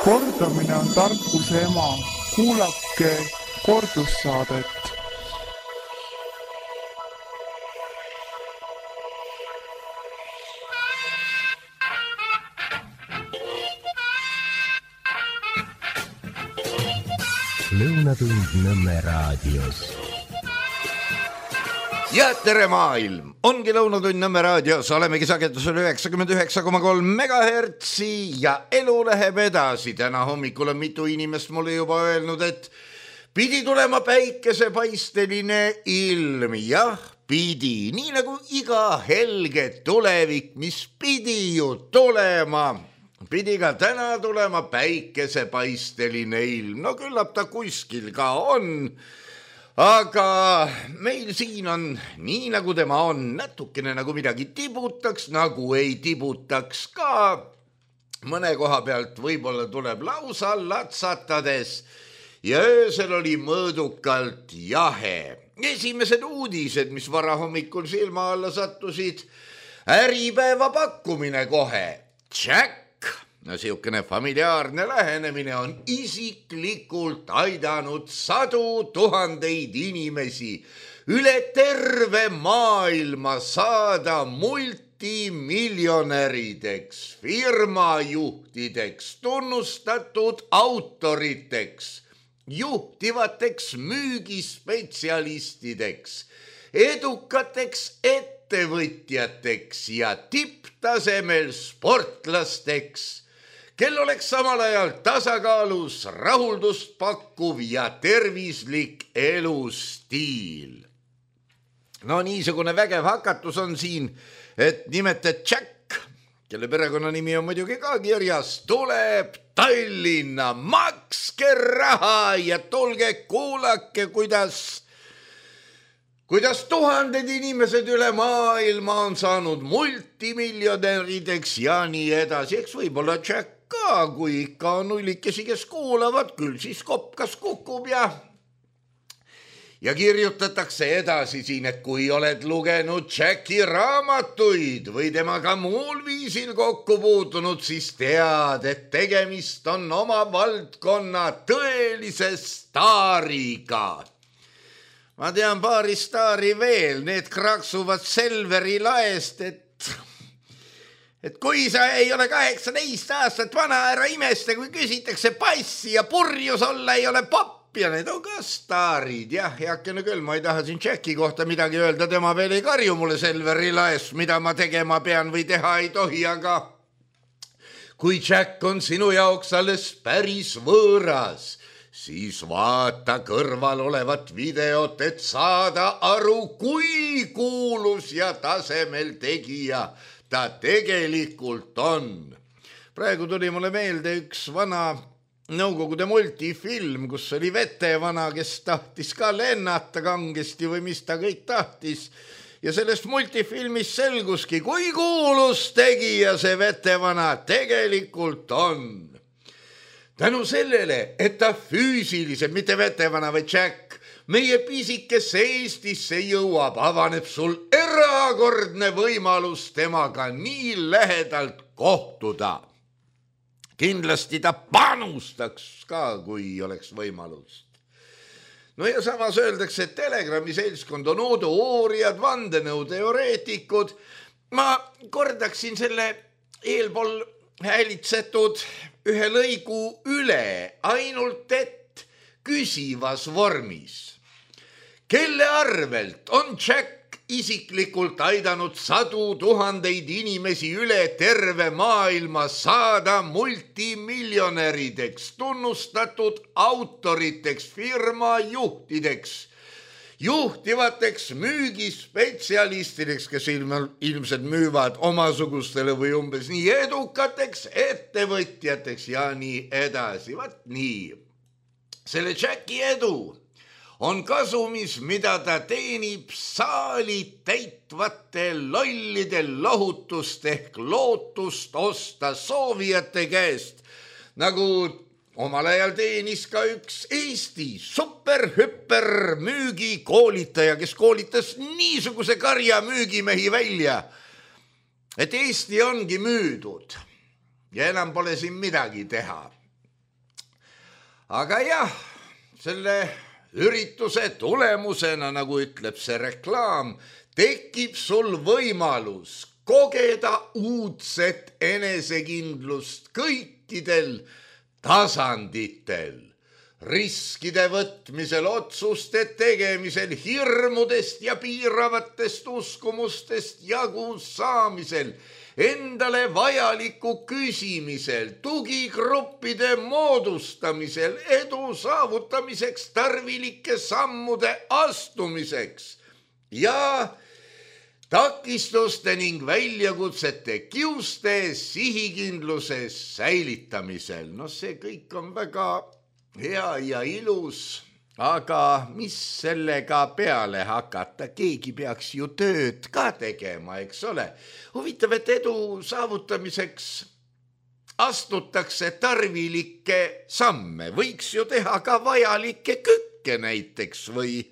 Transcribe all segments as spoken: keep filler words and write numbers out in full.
Kordamine on tarkuse ema. Kuulake kordussaadet. Lõunatund Nõmme raadios. Ja tere maailm! Ongi Lõunatund Nõmme raadios, olemegi sagedusel üheksakümmend üheksa koma kolm megahertsi ja elu läheb edasi. Täna hommikul on mitu inimest mulle juba öelnud, et pidi tulema päikesepaisteline ilm. Jah, pidi, nii nagu iga helge tulevik, mis pidi ju tulema. Pidi ka täna tulema päikesepaisteline ilm. No küllap ta kuskil ka on. Aga meil siin on nii nagu tema on, natukene nagu midagi tibutaks, nagu ei tibutaks ka. Mõne koha pealt võib-olla tuleb lausa latsatades ja öösel oli mõõdukalt jahe. Esimesed uudised, mis varahommikul silma alla sattusid, äripäeva pakkumine kohe. Jack! No siukene familiaarne lähenemine on isiklikult aidanud sadu tuhandeid inimesi üle terve maailma saada multimiljonärideks, firmajuhtideks, tunnustatud autoriteks, juhtivateks müügispetsialistideks, edukateks ettevõtjateks ja tipptasemel sportlasteks, kel oleks samal ajal tasakaalus, rahuldust pakkuv ja tervislik elustiil. No niisugune vägev hakatus on siin, et nimetet Jack, kelle perekonnanimi on muidugi ka kirjas, tuleb Tallinna, makske raha ja tulge kuulake, kuidas kuidas tuhanded inimesed üle maailma on saanud multimiljonärideks ja nii edasi. Eks võib-olla Jack ka, kui ikka on nullikesi, kes kuulavad, küll siis kopkas kukub ja ja kirjutatakse edasi siin, et kui oled lugenud Jacki raamatuid või temaga muul viisil kokku puutunud, siis tead, et tegemist on oma valdkonna tõelise staariga. Ma tean paari staari veel, need kraksuvad Selveri laest, et et kui sa ei ole kaheksateist aastat vana, ära imeste, kui küsitakse passi ja purjus olla ei ole papp ja need on ka staarid. Jah, heakene küll, ma ei taha siin Jacki kohta midagi öelda, tema veel ei karju mulle Selveri laest, mida ma tegema pean või teha ei tohi, aga kui Jack on sinu jaoks alles päris võõras, siis vaata kõrval olevat videot, et saada aru, kui kuulus ja tasemel tegija ta tegelikult on. Praegu tuli mulle meelde üks vana Nõukogude multifilm, kus oli vetevana, kes tahtis ka lennata kangesti või mis ta kõik tahtis. Ja sellest multifilmis selguski, kui kuulus tegija see vetevana tegelikult on. Tänu sellele, et ta füüsiliselt, mitte vetevana või Jack, meie pisikesse Eestisse jõuab, avaneb sul erakordne võimalus temaga nii lähedalt kohtuda. Kindlasti ta panustaks ka, kui oleks võimalust. No ja samas öeldakse, et Telegrami seltskond on uudouurijad, vandenõuteoreetikud. Ma kordaksin selle eelpool häälitsetud ühe lõigu üle, ainult et küsivas vormis. Kelle arvelt on Jack isiklikult aidanud sadu tuhandeid inimesi üle terve maailma saada multimiljonärideks, tunnustatud autoriteks, firmajuhtideks, juhtivateks müügispetsialistideks, kes ilmselt müüvad omasugustele või umbes nii edukateks ettevõtjateks ja nii edasi. Vat nii. Selle Jacki edu on kasumis, mida ta teenib saali täitvate lollide lohutust ehk lootust osta soovijate käest, nagu omal ajal teenis ka üks Eesti superhüper müügikoolitaja, kes koolitas niisuguse karja müügimehi välja, et Eesti ongi müüdud ja enam pole siin midagi teha. aga jah, selle ürituse tulemusena, nagu ütleb see reklaam, tekib sul võimalus kogeda uudset enesekindlust kõikidel tasanditel. Riskide võtmisel, otsuste tegemisel, hirmudest ja piiravatest uskumustest jagu saamisel, endale vajaliku küsimisel, tugigruppide moodustamisel, edu saavutamiseks, tarvilike sammude astumiseks ja takistuste ning väljakutsete kiuste sihikindluse säilitamisel. No see kõik on väga hea ja ilus, aga mis sellega peale hakata? Keegi peaks ju tööd ka tegema, eks ole. Huvitav, et edu saavutamiseks astutakse tarvilikke samme. Võiks ju teha ka vajalikke kükke näiteks või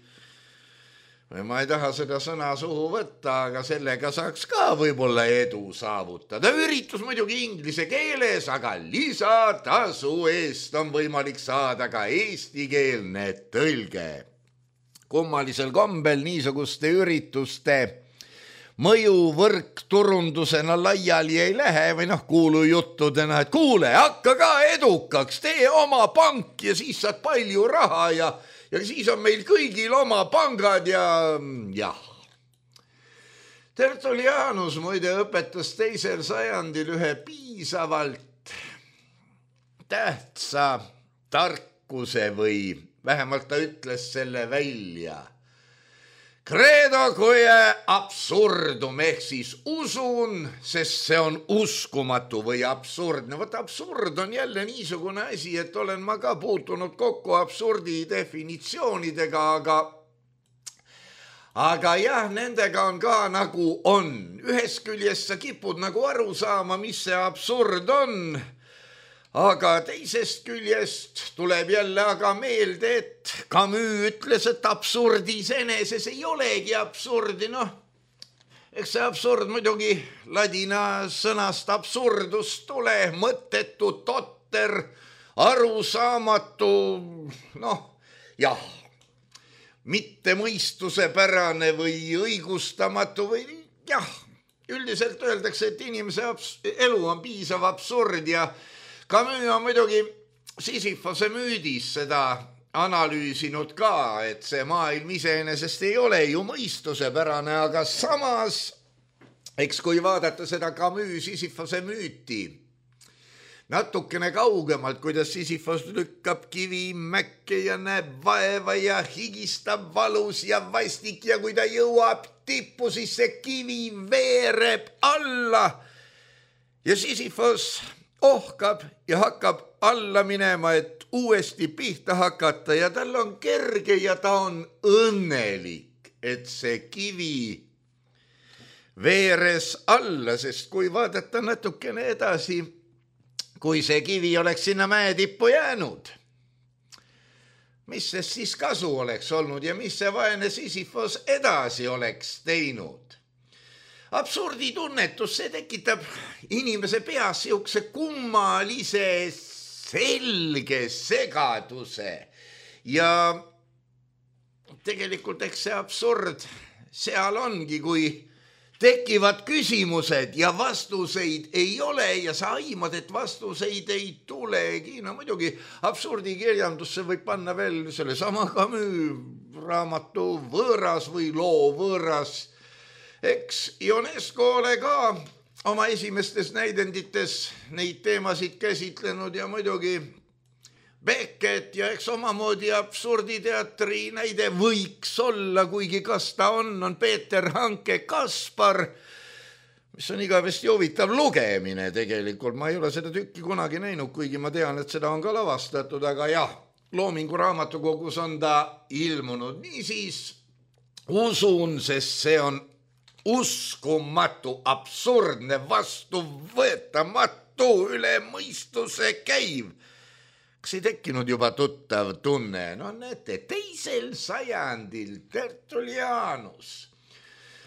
või ma ei taha seda sõna suhu võtta, aga sellega saaks ka võib-olla edu saavutada. Üritus muidugi inglise keeles, aga lisatasu eest on võimalik saada ka eestikeelne tõlge. Kummalisel kombel niisuguste ürituste mõjuvõrk turundusena laiali ei lähe või noh, kuulu juttudena, et kuule, hakka ka edukaks, tee oma pank ja siis saad palju raha ja Ja siis on meil kõigil oma pangad ja jah. Tertullianus muide õpetas teisel sajandil ühe piisavalt tähtsa tarkuse või vähemalt ta ütles selle välja. Credo quae absurdum ehk siis usun, sest see on uskumatu või absurdne. Võt absurd on jälle niisugune asi, et olen ma ka puutunud kokku absurdi definitsioonidega, aga aga jah, nendega on ka nagu on. Ühest küljest sa kipud nagu aru saama, mis see absurd on, aga teisest küljest tuleb jälle aga meelde, et Camus ütles, et absurdis eneses ei olegi absurdi. Noh, eks see absurd muidugi ladina sõnast absurdus tule, mõttetu, totter, arusaamatu, noh, jah, mitte mõistusepärane või õigustamatu või jah, üldiselt öeldakse, et inimese elu on piisav absurd ja Camus on muidugi Sisyphose müüdis seda analüüsinud ka, et see maailm iseenesest ei ole ju mõistusepärane, aga samas, eks kui vaadata seda Camus Sisyphose müüti, natukene kaugemalt, kuidas Sisyphos lükkab kivi mäkke ja näeb vaeva ja higistab valus ja vastik ja kui ta jõuab tippu, siis see kivi veereb alla ja Sisyphos ohkab ja hakkab alla minema, et uuesti pihta hakata ja tal on kerge ja ta on õnnelik, et see kivi veeres alla, sest kui vaadata natukene edasi, kui see kivi oleks sinna mäetippu jäänud, mis sest siis kasu oleks olnud ja mis see vaene Sisyphos edasi oleks teinud? Absurdi tunnetus, see tekitab inimese peas siukse kummalise selge segaduse ja tegelikult eks see absurd seal ongi, kui tekivad küsimused ja vastuseid ei ole ja sa aimad, et vastuseid ei tulegi. No muidugi absurdi kirjandusse võib panna veel selle sama Camus raamatu võõras või loo võõras. Eks Ionesco ole ka oma esimestes näidendites neid teemasid käsitlenud ja muidugi Beckett ja eks omamoodi absurditeatri näide võiks olla, kuigi kas ta on, on Peeter Hanke Kaspar, mis on igavesti huvitav lugemine tegelikult. Ma ei ole seda tükki kunagi näinud, kuigi ma tean, et seda on ka lavastatud, aga jah, Loomingu raamatukogus on ta ilmunud. Niisiis usun, sest see on uskumatu, absurdne, vastuvõetamatu, üle mõistuse käiv. Kas ei tekkinud juba tuttav tunne? No näete, teisel sajandil Tertullianus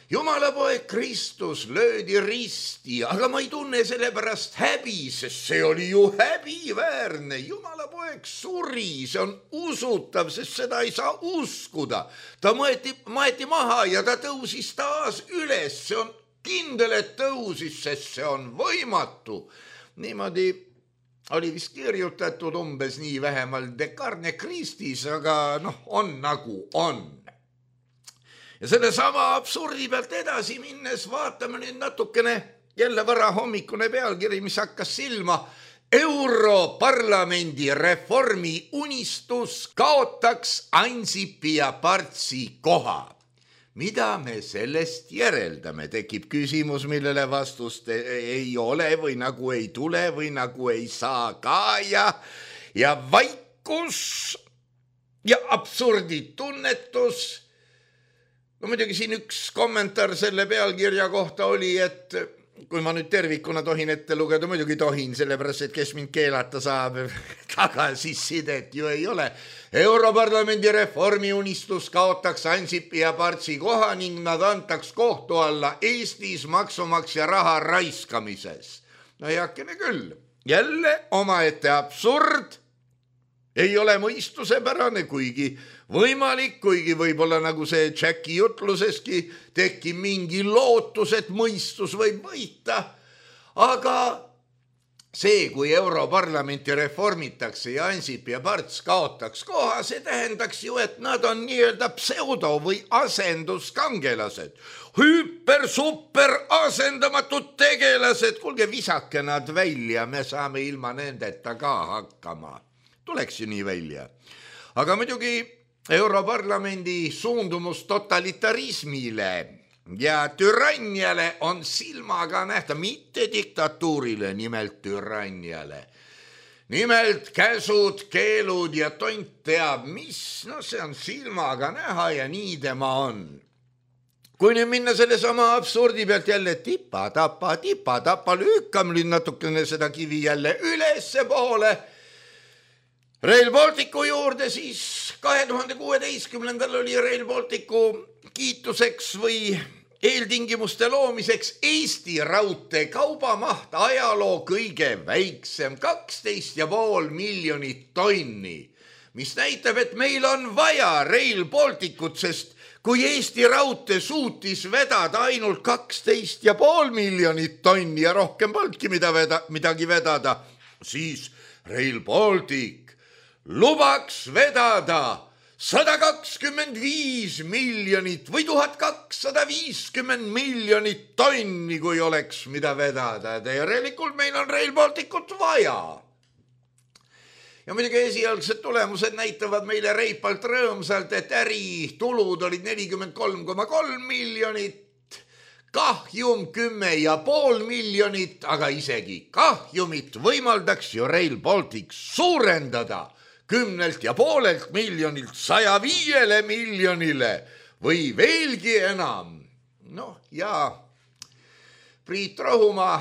Jumalapoeg Kristus löödi risti, aga ma ei tunne selle pärast häbi, sest see oli ju häbiväärne. Jumalapoeg suri, see on usutav, sest seda ei saa uskuda. Ta maeti, maeti maha ja ta tõusis taas üles. See on kindel, et tõusis, sest see on võimatu. Niimoodi oli vist kirjutatud umbes nii vähemalt Descartes Christis, aga noh, on nagu on. Ja selle sama absurdi pealt edasi minnes vaatame nüüd natukene jälle vara hommikune pealkiri, mis hakkas silma. Europarlamendi reformi unistus kaotaks Ansipi ja Partsi koha. Mida me sellest järeldame? Tekib küsimus, millele vastust ei ole või nagu ei tule või nagu ei saa ka ja, ja vaikus ja absurdi tunnetus. No muidugi siin üks kommentaar selle pealkirja kohta oli, et kui ma nüüd tervikuna tohin ette lugeda, muidugi tohin, sellepärast, et kes mind keelata saab, tagasisidet ju ei ole. Europarlamendi reformi unistus kaotaks Ansipi ja Partsi koha ning nad antaks kohtu alla Eestis maksumaksja raha raiskamises. No heakene küll, jälle omaette absurd. Ei ole mõistusepärane, kuigi võimalik, kuigi võib-olla nagu see Jacki jutluseski tekib mingi lootus, et mõistus võib võita. Aga see, kui Europarlamenti reformitakse ja Ansip ja Parts kaotaks koha, see tähendaks ju, et nad on nii-öelda pseudo- või asenduskangelased. Hüper, super, asendamatud tegelased. Kuulge, visake nad välja, me saame ilma nendeta ka hakkama. Tuleks ju nii välja. Aga muidugi Europarlamendi suundumus totalitarismile ja türanniale on silmaga nähta, mitte diktatuurile, nimelt türanniale. Nimelt käsud, keelud ja tont teab mis, no see on silmaga näha ja nii tema on. Kui nüüd minna selle sama absurdi pealt jälle tipa, tapa, tipa, tapa, lükkam nüüd natukene seda kivi jälle ülesse poole, Rail Balticu juurde, siis kahe tuhande kuueteistkümnendal oli Rail Balticu kiituseks või eeltingimuste loomiseks Eesti raudtee kaubamaht ajaloo kõige väiksem, kaksteist ja pool miljonit tonni, mis näitab, et meil on vaja Rail Balticut, sest kui Eesti raudtee suutis vedada ainult kaksteist ja pool miljonit tonni ja rohkem polnudki mida veda, midagi vedada, siis Rail Baltic lubaks vedada sada kakskümmend viis miljonit või tuhat kakssada viiskümmend miljonit tonni, kui oleks mida vedada. Järelikult meil on Rail Balticut vaja. Ja muidugi esialgsed tulemused näitavad meile reipalt rõõmsalt, et äri tulud olid nelikümmend kolm koma kolm miljonit, kahjum kümme ja pool miljonit, aga isegi kahjumit võimaldaks ju Rail Baltic suurendada kümnelt ja poolelt miljonilt saja viiele miljonile või veelgi enam. Noh, ja Priit Rohumaa,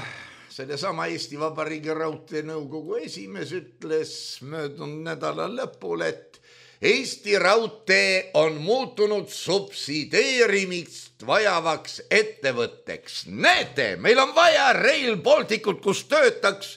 sellesama Eesti Vabariigi raudtee nõukogu esimees, ütles möödunud nädala lõpul, et Eesti raudtee on muutunud subsideerimist vajavaks ettevõtteks. Näete, meil on vaja Rail Balticut, kus töötaks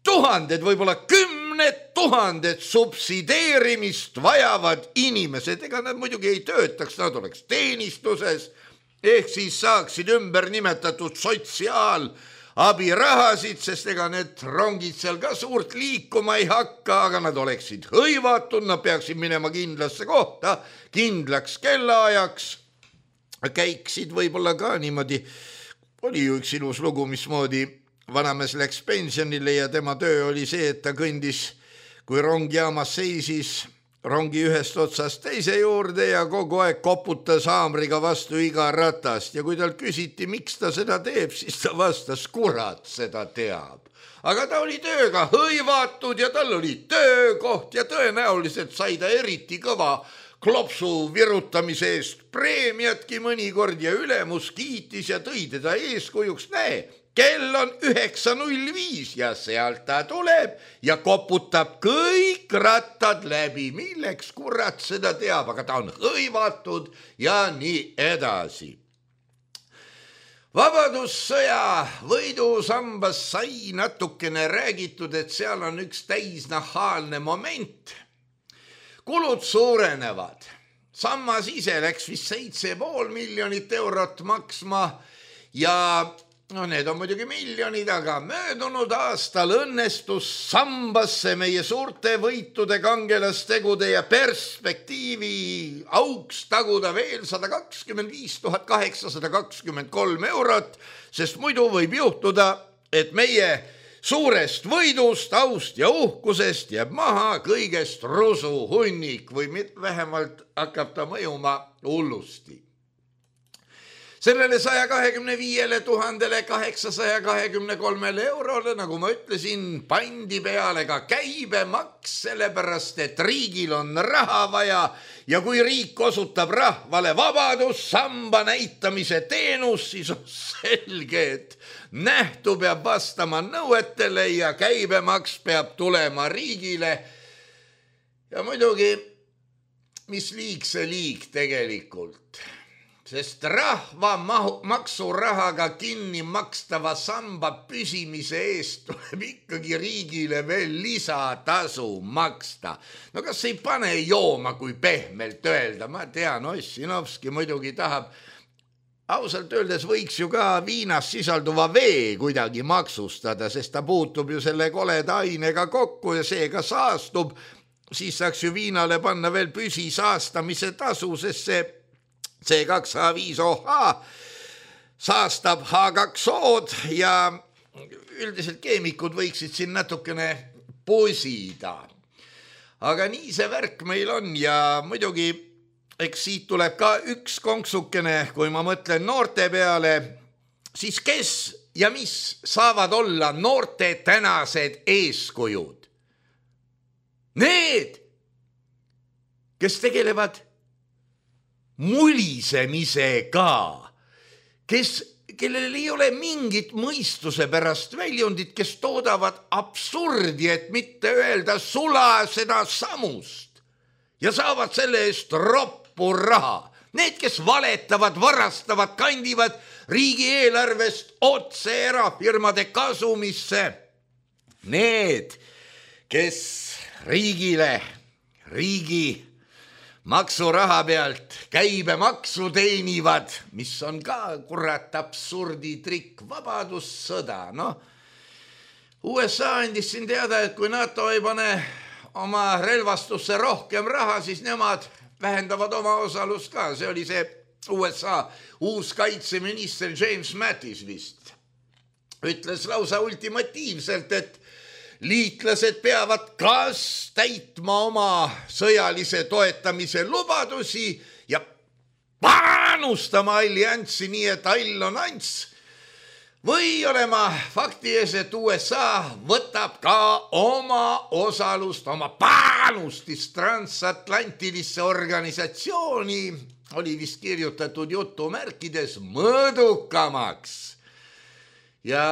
tuhanded, võib-olla kümned tuhanded subsideerimist vajavad inimesed. Ega nad muidugi ei töötaks, nad oleks teenistuses, ehk siis saaksid ümber nimetatud sotsiaalabirahasid, sest ega need rongid seal ka suurt liikuma ei hakka, aga nad oleksid hõivatud, nad peaksid minema kindlasse kohta, kindlaks kellaajaks, käiksid võib-olla ka niimoodi. Oli ju üks ilus lugu, mismoodi vanamees läks pensionile ja tema töö oli see, et ta kõndis, kui rong jaamas seisis, rongi ühest otsast teise juurde ja kogu aeg koputas haamriga vastu iga ratast. Ja kui tal küsiti, miks ta seda teeb, siis ta vastas, kurat seda teab. Aga ta oli tööga hõivatud ja tal oli töökoht ja tõenäoliselt sai ta eriti kõva klopsu virutamise eest preemiatki mõnikord ja ülemus kiitis ja tõi teda eeskujuks. Näe, kell on üheksa null viis ja sealt ta tuleb ja koputab kõik rattad läbi. Milleks kurat seda teab, aga ta on hõivatud ja nii edasi. Vabadussõja võidusambas sai natukene räägitud, et seal on üks täisnahaalne moment. Kulud suurenevad. Sammas ise läks vist seitse pool miljonit eurot maksma ja no need on muidugi miljonid, aga möödunud aastal õnnestus sambasse meie suurte võitude, kangelastegude ja perspektiivi auks taguda veel sada kakskümmend viis tuhat kaheksasada kakskümmend kolm eurot, sest muidu võib juhtuda, et meie suurest võidust, aust ja uhkusest jääb maha kõigest rusu hunnik või vähemalt hakkab ta mõjuma hullusti. Sellele saja kahekümne viiele tuhandele kaheksasaja kahekümne kolmele eurole, nagu ma ütlesin, pandi peale ka käibemaks, sellepärast et riigil on raha vaja ja kui riik osutab rahvale vabadussamba näitamise teenus, siis on selge, et nähtu peab vastama nõuetele ja käibemaks peab tulema riigile. Ja muidugi, mis liig see liig tegelikult? Sest rahva maksurahaga kinni makstava samba püsimise eest tuleb ikkagi riigile veel lisatasu maksta. No kas ei pane jooma, kui pehmelt öelda? Ma tean, Ossinovski muidugi tahab. Ausalt öeldes võiks ju ka viinas sisalduva vee kuidagi maksustada, sest ta puutub ju selle koleda ainega kokku ja seega saastub. Siis saaks ju viinale panna veel püsi saastamise tasu, sest see C kaks H viis O H saastab H kaks O-d ja üldiselt keemikud võiksid siin natukene posida. Aga nii see värk meil on ja muidugi eks siit tuleb ka üks konksukene, kui ma mõtlen noorte peale, siis kes ja mis saavad olla noorte tänased eeskujud? Need, kes tegelevad mulisemisega, kes, kellel ei ole mingit mõistuse pärast väljundit, kes toodavad absurdi, et mitte öelda sula seda samust ja saavad selle eest roppu raha. Need, kes valetavad, varastavad, kandivad riigieelarvest otse erafirmade kasumisse. Need, kes riigile, riigi maksuraha pealt käibemaksu teenivad, mis on ka kurat absurdi trikk, vabadussõda. No, U S A andis siin teada, et kui NATO ei pane oma relvastusse rohkem raha, siis nemad vähendavad oma osalust ka. See oli see U S A uus kaitseminister James Mattis vist. Ütles lausa ultimatiivselt, et liitlased peavad kas täitma oma sõjalise toetamise lubadusi ja panustama allianssi nii, et all on ants. Või olema fakti ees, et U S A võtab ka oma osalust, oma panustist transatlantilisse organisatsiooni, oli vist kirjutatud jutumärkides, mõõdukamaks. Ja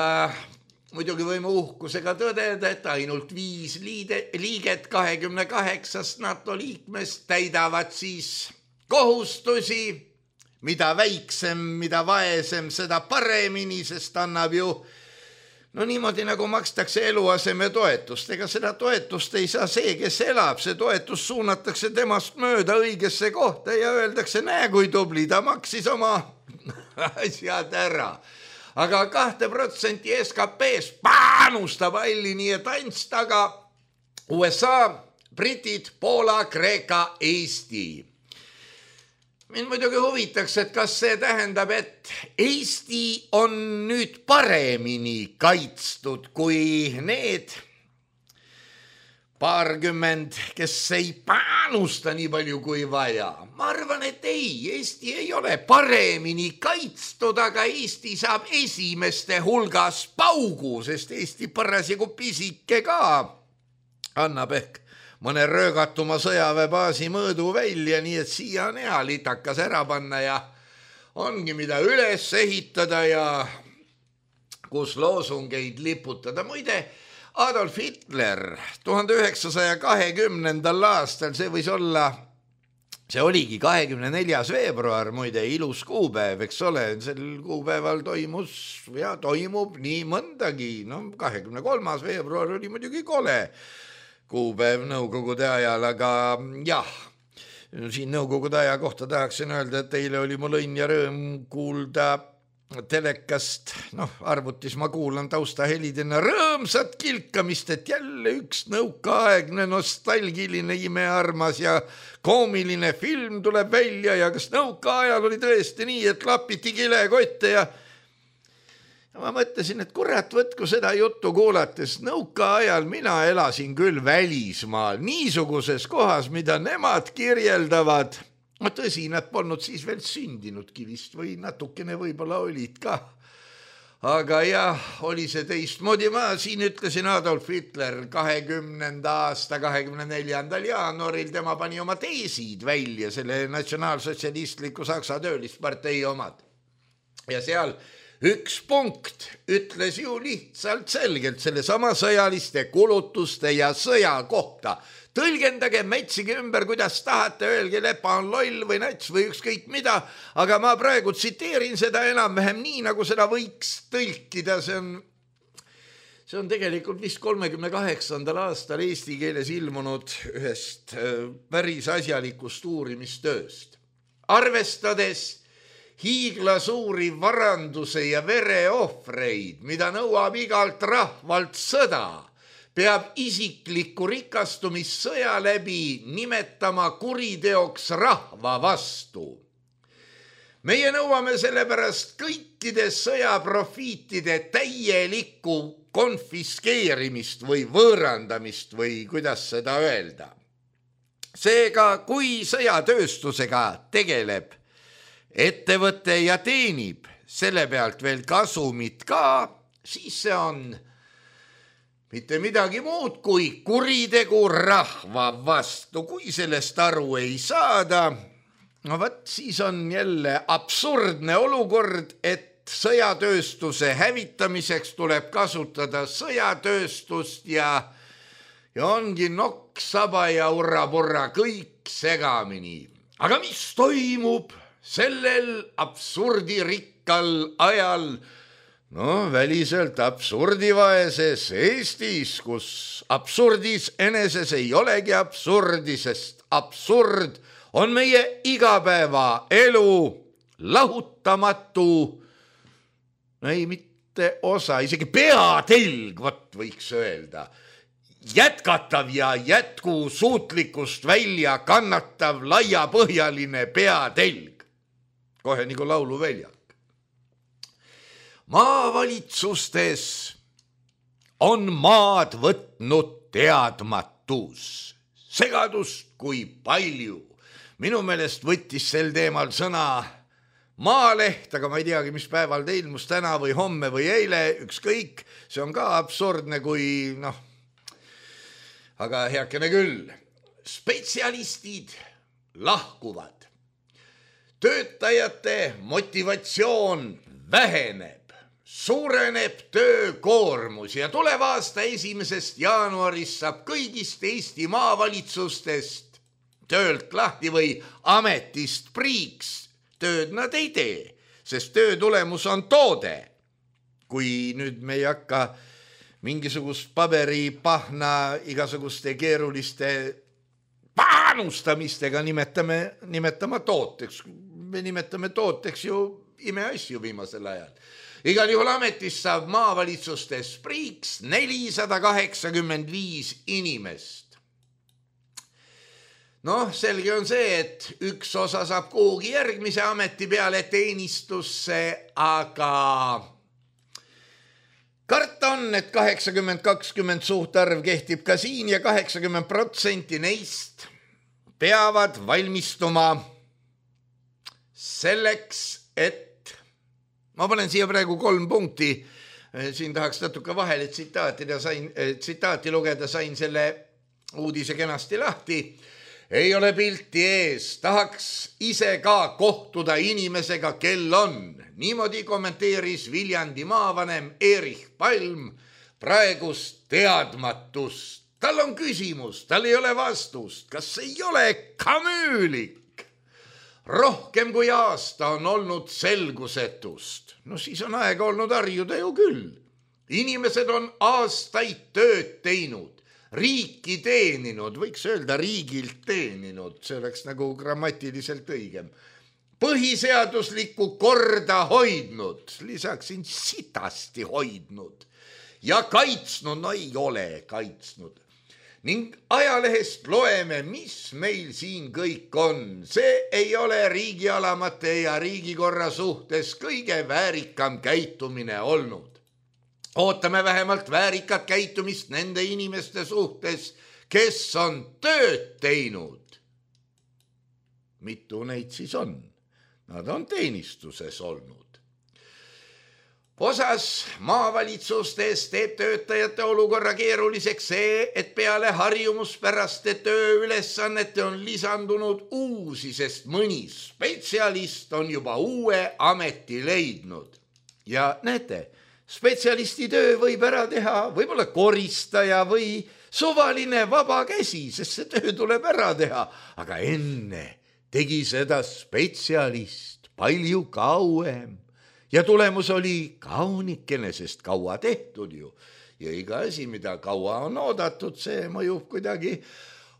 muidugi võime uhkusega tõdeda, et ainult viis liide, liiget kahekümne kaheksast NATO liikmest täidavad siis kohustusi, mida väiksem, mida vaesem, seda paremini, sest annab ju no niimoodi nagu makstakse eluaseme toetust. Ega seda toetust ei saa see, kes elab, see toetus suunatakse temast mööda õigesse kohta ja öeldakse, näe kui tubli, ta maksis oma asjad ära. Aga kahte protsenti S K P-st panustab alli nii, et ants taga U S A, Britid, Poola, Kreeka, Eesti. Mind muidugi huvitaks, et kas see tähendab, et Eesti on nüüd paremini kaitstud kui need paarkümmend, kes ei panusta nii palju kui vaja. Ma arvan, et ei, Eesti ei ole paremini kaitstud, aga Eesti saab esimeste hulgas paugu, sest Eesti parasjagu pisike ka annab ehk mõne röögatuma sõjaväebaasi mõõdu välja, nii et siia on hea litakas ära panna ja ongi mida üles ehitada ja kus loosungeid liputada. Muide, Adolf Hitler tuhande üheksasaja kahekümnendal aastal, see võis olla see oligi kahekümne neljas veebruar, muide ilus kuupäev, eks ole, sel kuupäeval toimus ja toimub nii mõndagi, no kahekümne kolmas veebruar oli muidugi kole kuupäev nõukogude ajal, aga jah, siin nõukogude aja kohta tahaksin öelda, et eile oli mul õnn ja rõõm kuulda telekast, noh, arvutis ma kuulan taustahelidena rõõmsat kilkamist, et jälle üks nõukaaegne nostalgiline imearmas ja koomiline film tuleb välja ja kas nõukaajal oli tõesti nii, et lapiti kilekotte ja ja ma mõtlesin, et kurat, võtku seda juttu kuulates, nõukaajal mina elasin küll välismaal, niisuguses kohas, mida nemad kirjeldavad. No tõsi, nad polnud siis veel sündinudki vist või natukene võib-olla olid ka. Aga jah, oli see teistmoodi. Ma siin ütlesin Adolf Hitler kahekümnenda aasta kahekümne neljandal jaanuaril, tema pani oma teesid välja, selle natsionaalsotsialistliku Saksa töölispartei omad. Ja seal üks punkt ütles ju lihtsalt selgelt selle sama sõjaliste kulutuste ja sõja kohta. Tõlgendage, metsige ümber, kuidas tahate, öelge, Lepa on loll või nats või ükskõik mida, aga ma praegu tsiteerin seda enam-vähem nii, nagu seda võiks tõlkida. See on, see on tegelikult vist kolmekümne kaheksandal aastal eesti keeles ilmunud ühest päris asjalikust uurimistööst. Arvestades hiiglasuuri varanduse ja vereohvreid, mida nõuab igalt rahvalt sõda, peab isiklikku rikastumissõja läbi nimetama kuriteoks rahva vastu. Meie nõuame sellepärast kõikide sõjaprofiitide täielikku konfiskeerimist või võõrandamist või kuidas seda öelda. Seega, kui sõjatööstusega tegeleb ettevõte ja teenib selle pealt veel kasumit ka, siis see on mitte midagi muud kui kuritegu rahva vastu. Kui sellest aru ei saada, no võt, siis on jälle absurdne olukord, et sõjatööstuse hävitamiseks tuleb kasutada sõjatööstust ja, ja ongi nokk, saba ja urra-purra kõik segamini. Aga mis toimub sellel absurdirikkal ajal? No väliselt absurdivaeses Eestis, kus absurdis eneses ei olegi absurdi, sest absurd on meie igapäeva elu lahutamatu, ei mitte osa, isegi peatelg, vot võiks öelda, jätkatav ja jätkusuutlikkust välja kannatav laiapõhjaline peatelg, kohe nagu lauluväljak. Maavalitsustes on maad võtnud teadmatus, segadust kui palju. Minu meelest võttis sel teemal sõna Maaleht, aga ma ei teagi, mis päeval ta ilmus, täna või homme või eile, ükskõik, see on ka absurdne, kui noh, aga heakene küll, spetsialistid lahkuvad, töötajate motivatsioon väheneb, suureneb töökoormus ja tuleva aasta esimesest jaanuarist saab kõigist Eesti maavalitsustest töölt lahti või ametist priiks. Tööd nad ei tee, sest töö tulemus on toode. Kui nüüd me ei hakka mingisugust paberipahna igasuguste keeruliste panustamistega nimetame, nimetama tooteks. Me nimetame tooteks ju imeasju viimasel ajal. Igal juhul ametist saab maavalitsustes priiks nelisada kaheksakümmend viis inimest. Noh, selge on see, et üks osa saab kuhugi järgmise ameti peale teenistusse, aga karta on, et kaheksakümmend kakskümmend suhtarv kehtib ka siin ja kaheksakümmend protsenti neist peavad valmistuma selleks, et ma panen siia praegu kolm punkti, siin tahaks natuke vahele tsitaati, sain, tsitaati lugeda, sain selle uudise kenasti lahti. Ei ole pilti ees, tahaks ise ka kohtuda inimesega, kel on. Niimoodi kommenteeris Viljandi maavanem Erich Palm praegust teadmatust. Tal on küsimus, tal ei ole vastust. Kas ei ole kamüülik? rohkem kui aasta on olnud selgusetust. No siis on aega olnud harjuda ju küll. Inimesed on aastaid tööd teinud, riiki teeninud, võiks öelda riigilt teeninud, see oleks nagu grammatiliselt õigem. Põhiseaduslikku korda hoidnud, lisaksin sitasti hoidnud ja kaitsnud, no ei ole kaitsnud. Ning ajalehest loeme, mis meil siin kõik on. See ei ole riigialamate ja riigikorra suhtes kõige väärikam käitumine olnud. Ootame vähemalt väärikat käitumist nende inimeste suhtes, kes on tööd teinud. Mitu neid siis on? Nad on teenistuses olnud. Osas maavalitsustes teeb töötajate olukorra keeruliseks see, et peale harjumuspäraste tööülesannete on lisandunud uusi, sest mõni spetsialist on juba uue ameti leidnud. Ja näete, spetsialisti töö võib ära teha võib-olla koristaja või suvaline vaba käsi, sest see töö tuleb ära teha. Aga enne tegi seda spetsialist palju kauem. Ja tulemus oli kaunikene, sest kaua tehtud ju. Ja iga asi, mida kaua on oodatud, see mõjub kuidagi,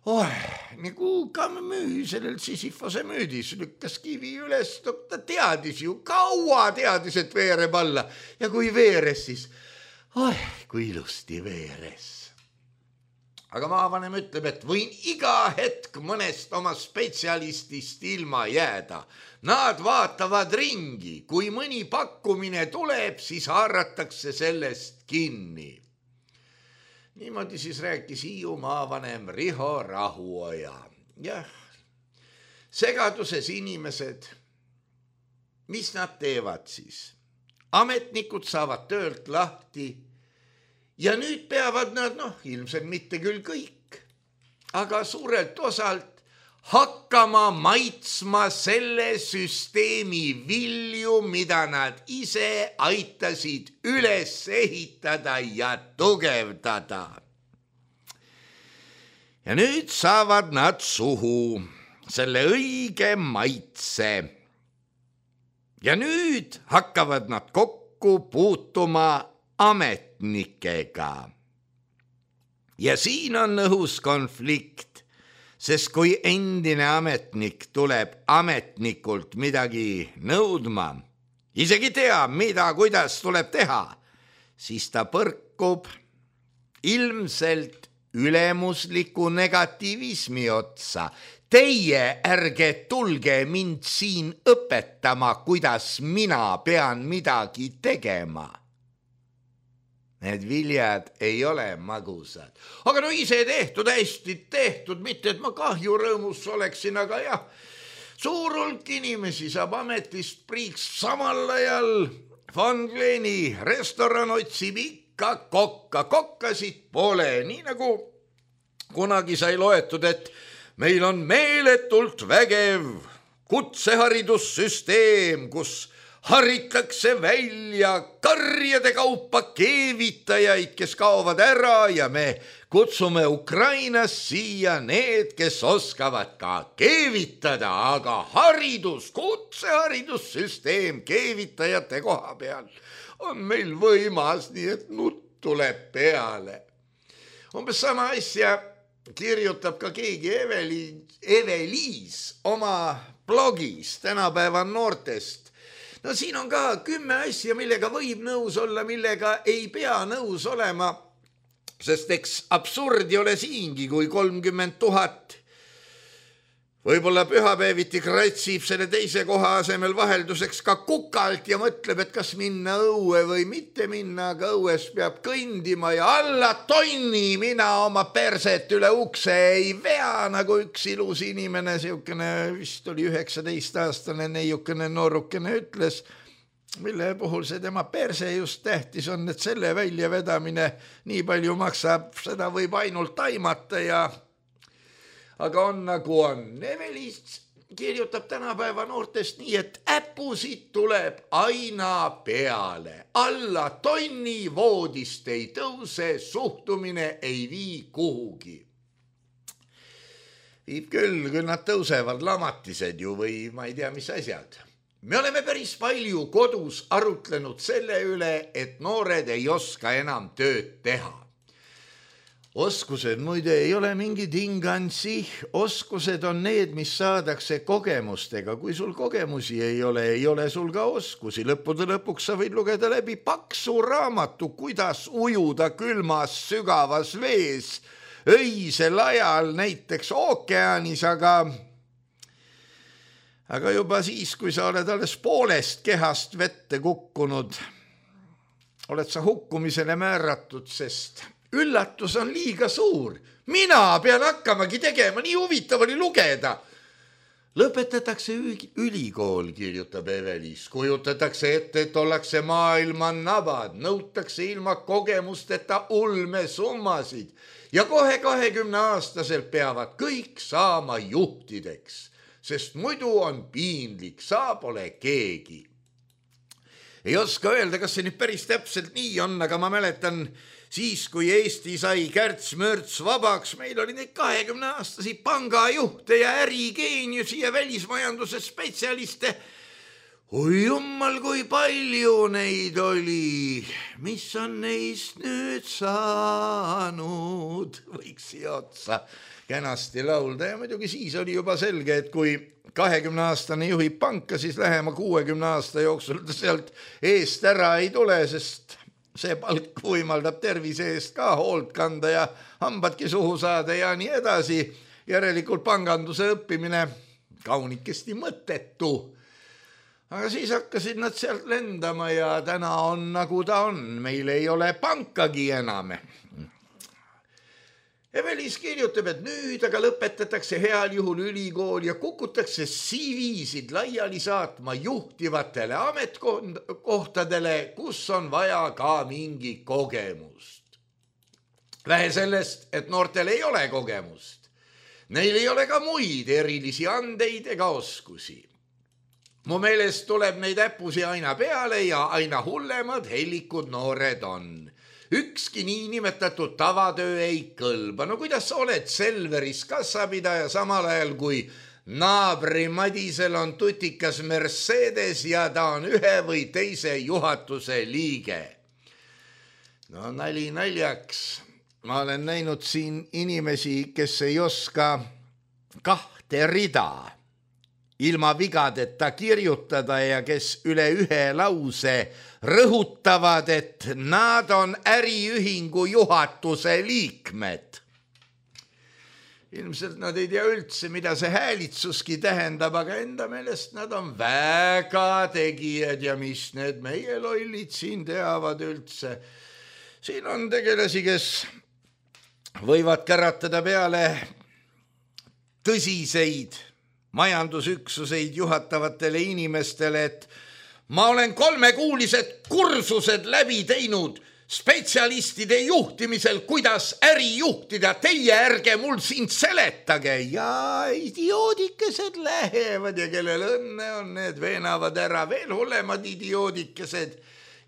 oh, nagu Kamüü sellel Sisyphose müüdis, lükkas kivi üles, ta teadis ju, kaua teadis, et veereb alla. Ja kui veeres, siis, oh, kui ilusti veeres. Aga maavanem ütleb, et võin iga hetk mõnest oma spetsialistist ilma jääda. Nad vaatavad ringi, kui mõni pakkumine tuleb, siis haaratakse sellest kinni. Niimoodi siis rääkis Hiiu maavanem Riho Rahuoja. Jah, segaduses inimesed, mis nad teevad siis? Ametnikud saavad töölt lahti ja nüüd peavad nad, noh, ilmselt mitte küll kõik, aga suurelt osalt hakkama maitsma selle süsteemi vilju, mida nad ise aitasid üles ehitada ja tugevdada. Ja nüüd saavad nad suhu selle õige maitse. Ja nüüd hakkavad nad kokku puutuma ametnikega. Ja siin on õhus konflikt, sest kui endine ametnik tuleb ametnikult midagi nõudma, isegi tea, mida, kuidas tuleb teha, siis ta põrkub ilmselt ülemusliku negatiivismi otsa. Teie ärge tulge mind siin õpetama, kuidas mina pean midagi tegema. Need viljad ei ole magusad. Aga no ise tehtud, hästi tehtud, mitte et ma kahju rõõmus oleksin, aga jah, suur hulk inimesi saab ametist priiks samal ajal. Von Gleni restoran otsib ikka kokka, kokkasid pole, nii nagu kunagi sai loetud, et meil on meeletult vägev kutseharidussüsteem, kus haritakse välja karjade kaupa keevitajaid, kes kaovad ära ja me kutsume Ukrainas siia need, kes oskavad ka keevitada, aga haridus, kutseharidussüsteem keevitajate koha peal on meil võimas, nii et nutt tuleb peale. Umbes sama asja kirjutab ka keegi Eveliis, Eveliis oma blogis tänapäeva noortest. No siin on ka kümme asja, millega võib nõus olla, millega ei pea nõus olema, sest eks absurdi ole siingi, kui kolmkümmend tuhat võib-olla pühapäeviti kratsib selle teise koha asemel vahelduseks ka kukalt ja mõtleb, et kas minna õue või mitte minna, aga õues peab kõndima ja alla tonni mina oma perset üle ukse ei vea, nagu üks ilus inimene, siukene vist oli üheksateist-aastane neiukene noorukene ütles, mille puhul see tema perse just tähtis on, et selle väljavedamine nii palju maksab, seda võib ainult aimata ja aga on nagu on. Eveliis kirjutab tänapäeva noortest nii, et äpusid tuleb aina peale. Alla tonni voodist ei tõuse, suhtumine ei vii kuhugi. viib küll, küll nad tõusevad lamatised ju või ma ei tea, mis asjad. Me oleme päris palju kodus arutlenud selle üle, et noored ei oska enam tööd teha. Oskused muide ei ole mingi tingansi, oskused on need, mis saadakse kogemustega. Kui sul kogemusi ei ole, ei ole sul ka oskusi. Lõppude lõpuks sa võid lugeda läbi paksu raamatu, kuidas ujuda külmas sügavas vees, öisel ajal näiteks ookeanis, aga, aga juba siis, kui sa oled alles poolest kehast vette kukkunud, oled sa hukkumisele määratud, sest üllatus on liiga suur. Mina pean hakkamagi tegema, nii huvitav oli lugeda. Lõpetatakse ülikool, kirjutab Evelis. Kujutatakse ette, et ollakse maailma nabad, nõutakse ilma kogemusteta ulmesummasid ja kohe kahekümne aastaselt peavad kõik saama juhtideks, sest muidu on piinlik, sa pole keegi. Ei oska öelda, kas see nüüd päris täpselt nii on, aga ma mäletan, siis kui Eesti sai kärts-mörts vabaks, meil oli neid kahekümne aastasi pangajuhte ja ärigeeniusi ja välismajanduse spetsialiste. Oi jummal, kui palju neid oli. Mis on neist nüüd saanud? Võiks siia otsa kenasti laulda ja muidugi siis oli juba selge, et kui kahekümne aastane juhib panka, siis lähema kuuekümne aasta jooksul sealt eest ära ei tule, sest see palk võimaldab tervise eest ka hoolt kanda ja hambadki suhu saada ja nii edasi. Järelikult panganduse õppimine kaunikesti mõttetu. Aga siis hakkasid nad sealt lendama ja täna on nagu ta on. Meil ei ole pankagi enam. Evelis kirjutab, et nüüd aga lõpetatakse heal juhul ülikool ja kukutakse C V-sid laiali saatma juhtivatele ametkohtadele, kus on vaja ka mingi kogemust. Vähe sellest, et noortel ei ole kogemust. Neil ei ole ka muid erilisi andeid ega oskusi. Mu meelest tuleb neid äppusi aina peale ja aina hullemad hellikud noored on. Ükski niinimetatud tavatöö ei kõlba. No kuidas sa oled Selveris kassapidaja samal ajal, kui naabri Madisel on tutikas Mercedes ja ta on ühe või teise juhatuse liige? No nali naljaks. Ma olen näinud siin inimesi, kes ei oska kahte rida ilma vigadeta kirjutada ja kes üle ühe lause rõhutavad, et nad on äriühingu juhatuse liikmed. Ilmselt nad ei tea üldse, mida see häälitsuski tähendab, aga enda meelest nad on väga tegijad ja mis need meie lollid siin teavad üldse. Siin on tegelasi, kes võivad käratada peale tõsiseid majandusüksuseid juhatavatele inimestele, et ma olen kolmekuulised kursused läbi teinud spetsialistide juhtimisel, kuidas äri juhtida, teie ärge mul siin seletage. Ja idioodikesed lähevad ja kellel õnne on, need veenavad ära veel hullemad idioodikesed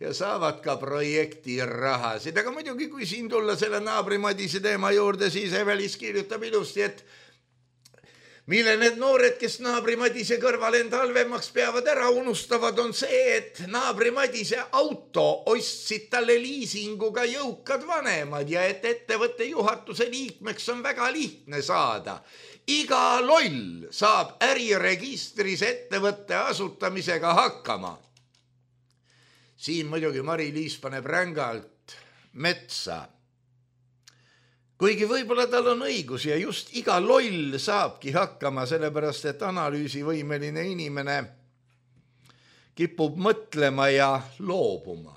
ja saavad ka projekti rahasid. Aga muidugi, kui siin tulla selle naabri Madise teema juurde, siis Evelis kirjutab ilusti, et mille need noored, kes naabri Madise kõrval enda halvemaks peavad ära unustavad, on see, et naabri Madise auto ostsid talle liisinguga jõukad vanemad ja et ettevõtte juhatuse liikmeks on väga lihtne saada. Iga loll saab äriregistris ettevõtte asutamisega hakkama. Siin muidugi Mari-Liis paneb rängalt metsa. Kuigi võib-olla tal on õigus ja just iga loll saabki hakkama, sellepärast et analüüsivõimeline inimene kipub mõtlema ja loobuma.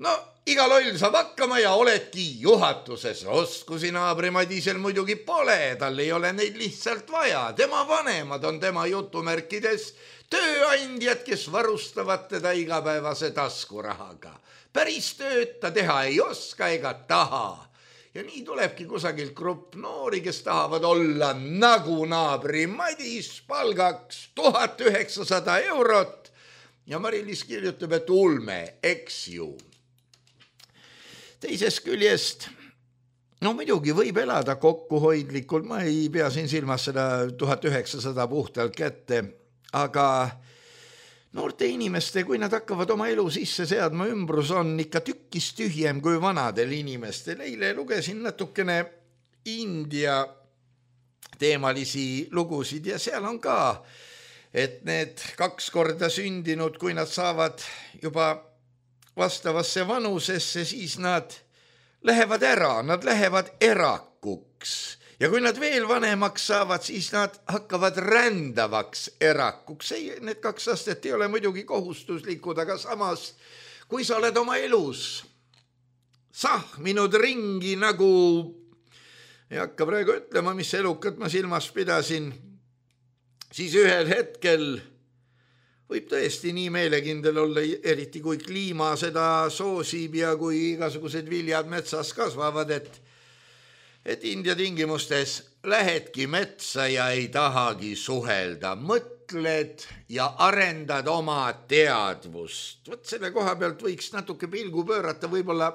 No, iga loll saab hakkama ja oledki juhatuses. Oskusi naabri Madisel muidugi pole, tal ei ole neid lihtsalt vaja. Tema vanemad on tema jutumärkides tööandjad, kes varustavad teda igapäevase taskurahaga. Päris tööd ta teha ei oska ega taha. Ja nii tulebki kusagilt grupp noori, kes tahavad olla nagu naabri Madis, palgaks tuhat üheksasada eurot. Ja Mari-Liis kirjutab, et ulme, eks ju. Teisest küljest no muidugi võib elada kokkuhoidlikult, ma ei pea siin silmas seda tuhat üheksasada puhtalt kätte, aga noorte inimeste, kui nad hakkavad oma elu sisse seadma, ümbrus on ikka tükkis tühjem kui vanadel inimestel. Eile lugesin natukene India teemalisi lugusid ja seal on ka, et need kaks korda sündinud, kui nad saavad juba vastavasse vanusesse, siis nad lähevad ära, nad lähevad erakuks. Ja kui nad veel vanemaks saavad, siis nad hakkavad rändavaks erakuks. Ei, need kaks astet ei ole muidugi kohustuslikud, aga samas, kui sa oled oma elus sahminud ringi nagu, ei hakka praegu ütlema, mis elukat ma silmas pidasin, siis ühel hetkel võib tõesti nii meelekindel olla, eriti kui kliima seda soosib ja kui igasugused viljad metsas kasvavad, et et India tingimustes lähedki metsa ja ei tahagi suhelda, mõtled ja arendad oma teadvust. Võt selle koha pealt võiks natuke pilgu pöörata võib-olla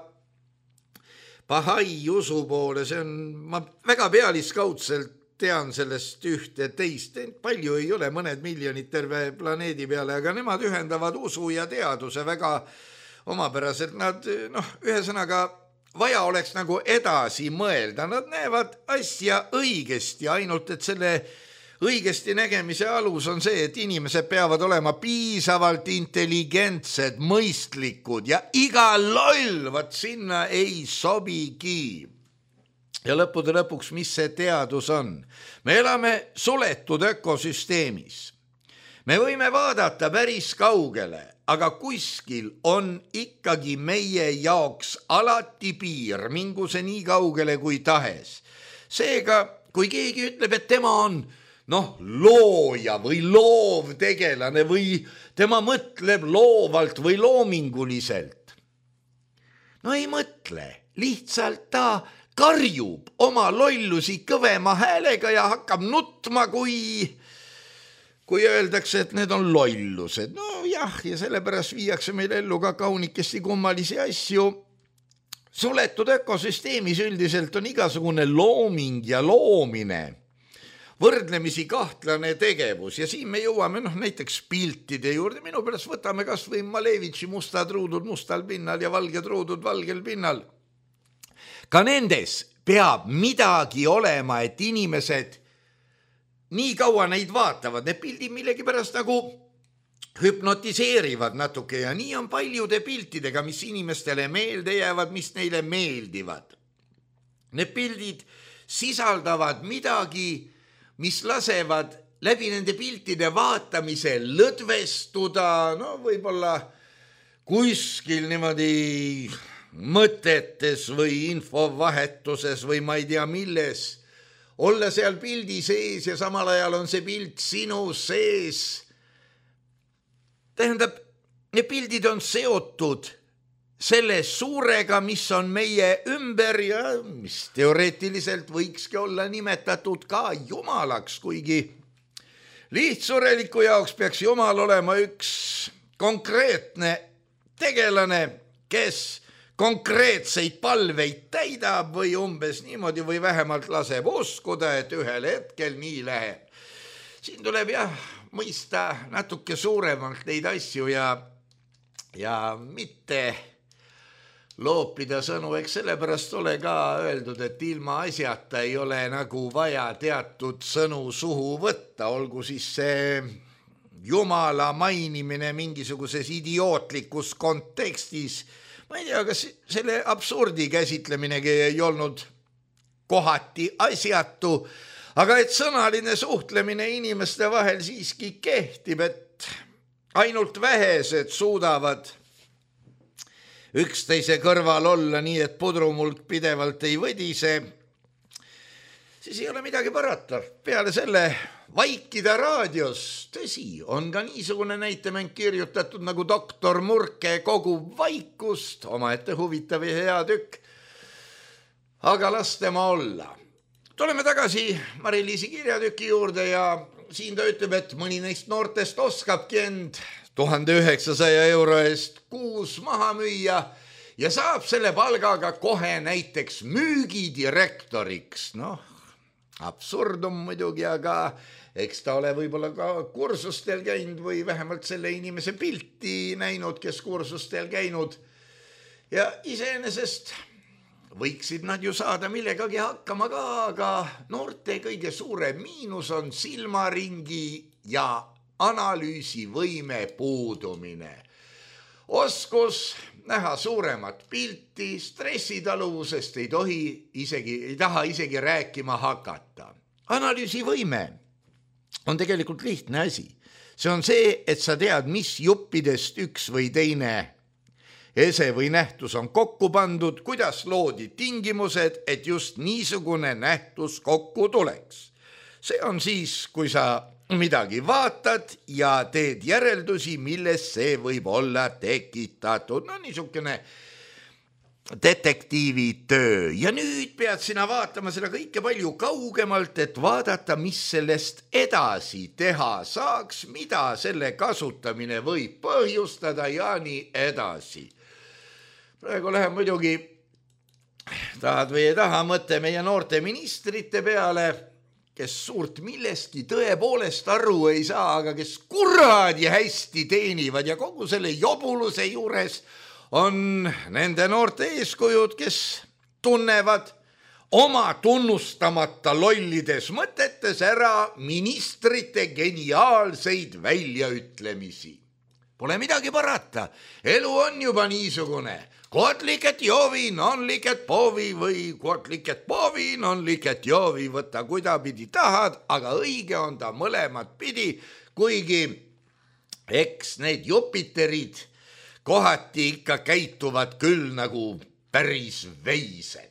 Bahai usu poole, see on, ma väga pealiskaudselt tean sellest ühte teist, palju ei ole, mõned miljonid terve planeedi peale, aga nemad ühendavad usu ja teaduse väga omapäraselt. Nad, noh, ühesõnaga, vaja oleks nagu edasi mõelda, nad näevad asja õigesti, ainult et selle õigesti nägemise alus on see, et inimesed peavad olema piisavalt intelligentsed, mõistlikud ja iga loll, vat sinna ei sobigi. Ja lõppude lõpuks, mis see teadus on? Me elame suletud ökosüsteemis. Me võime vaadata päris kaugele, aga kuskil on ikkagi meie jaoks alati piir, mingu see nii kaugele kui tahes. Seega, kui keegi ütleb, et tema on noh, looja või loovtegelane või tema mõtleb loovalt või loominguliselt. No ei mõtle, lihtsalt ta karjub oma lollusi kõvema häälega ja hakkab nutma, kui... kui öeldakse, et need on lollused. No jah, ja sellepärast viiakse meil ellu ka kaunikesti kummalisi asju. Suletud ökosüsteemis üldiselt on igasugune looming ja loomine, võrdlemisi kahtlane tegevus ja siin me jõuame noh, näiteks piltide juurde. Minu pärast võtame kas või Malevitši mustad ruudud mustal pinnal ja valged ruudud valgel pinnal. Ka nendes peab midagi olema, et inimesed nii kaua neid vaatavad, need pildid millegi pärast nagu hüpnotiseerivad natuke ja nii on paljude piltidega, mis inimestele meelde jäävad, mis neile meeldivad. Need pildid sisaldavad midagi, mis lasevad läbi nende piltide vaatamise lõdvestuda, no võib-olla kuskil niimoodi mõtetes või infovahetuses või ma ei tea milles, olla seal pildi sees ja samal ajal on see pilt sinu sees. Tähendab, need pildid on seotud selle suurega, mis on meie ümber ja mis teoreetiliselt võikski olla nimetatud ka jumalaks, kuigi lihtsureliku jaoks peaks jumal olema üks konkreetne tegelane, kes konkreetseid palveid täidab või umbes niimoodi või vähemalt laseb uskuda, et ühel hetkel nii läheb. Siin tuleb jah mõista natuke suuremalt neid asju ja, ja mitte loopida sõnu, eks sellepärast ole ka öeldud, et ilma asjata ei ole nagu vaja teatud sõnu suhu võtta, olgu siis see Jumala mainimine mingisuguses idiootlikus kontekstis. Ma ei tea, kas selle absurdi käsitleminegi ei olnud kohati asjatu, aga et sõnaline suhtlemine inimeste vahel siiski kehtib, et ainult vähesed suudavad üksteise kõrval olla nii, et pudrumulk pidevalt ei võdise, siis ei ole midagi parata. Peale selle vaikida raadios, tõsi, on ka niisugune näitemäng kirjutatud nagu doktor Murke kogub vaikust, omaette huvitav ja hea tükk, aga las tema olla. Tuleme tagasi Mari-Liisi kirjatüki juurde ja siin ta ütleb, et mõni neist noortest oskabki end tuhande üheksasaja euro eest kuus maha müüa ja saab selle palgaga kohe näiteks müügidirektoriks. Noh, absurdum muidugi, aga eks ta ole võib-olla ka kursustel käinud või vähemalt selle inimese pilti näinud, kes kursustel käinud. Ja iseenesest võiksid nad ju saada millegagi hakkama ka, aga noorte kõige suurem miinus on silmaringi ja analüüsivõime puudumine. Oskus näha suuremat pilti, stressitaluvusest ei tohi isegi, ei taha isegi rääkima hakata. Analüüsivõime on tegelikult lihtne asi. See on see, et sa tead, mis juppidest üks või teine ese või nähtus on kokku pandud, kuidas loodi tingimused, et just niisugune nähtus kokku tuleks. See on siis, kui sa midagi vaatad ja teed järeldusi, milles see võib olla tekitatud. No niisugune detektiivi töö. Ja nüüd pead sina vaatama seda kõike palju kaugemalt, et vaadata, mis sellest edasi teha saaks, mida selle kasutamine võib põhjustada ja nii edasi. Praegu läheb muidugi, tahad või ei taha, mõte meie noorte ministrite peale, kes suurt millestki tõepoolest aru ei saa, aga kes kuradi hästi teenivad ja kogu selle jobuluse juures on nende noorte eeskujud, kes tunnevad oma tunnustamata lollides mõtetes ära ministrite geniaalseid väljaütlemisi. Pole midagi parata, elu on juba niisugune. Kod liket jovi, non liket povi või kod liket povi, non liket jovi, võtta kuidapidi tahad, aga õige on ta mõlemad pidi, kuigi eks need jupiterid kohati ikka käituvad küll nagu päris veised.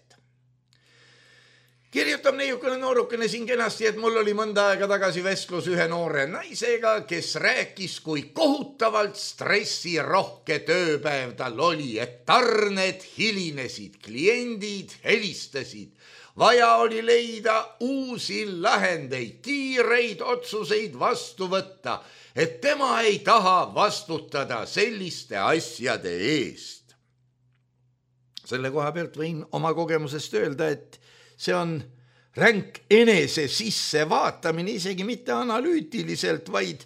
Kirjutab neiukene noorukene siin kenasti, et mul oli mõnda aega tagasi vestlus ühe noore naisega, kes rääkis, kui kohutavalt stressirohke tööpäev tal oli, et tarned hilinesid, kliendid helistasid. Vaja oli leida uusi lahendeid, kiireid otsuseid vastu võtta, et tema ei taha vastutada selliste asjade eest. Selle koha pealt võin oma kogemusest öelda, et see on ränk enese sisse vaatamine, isegi mitte analüütiliselt, vaid,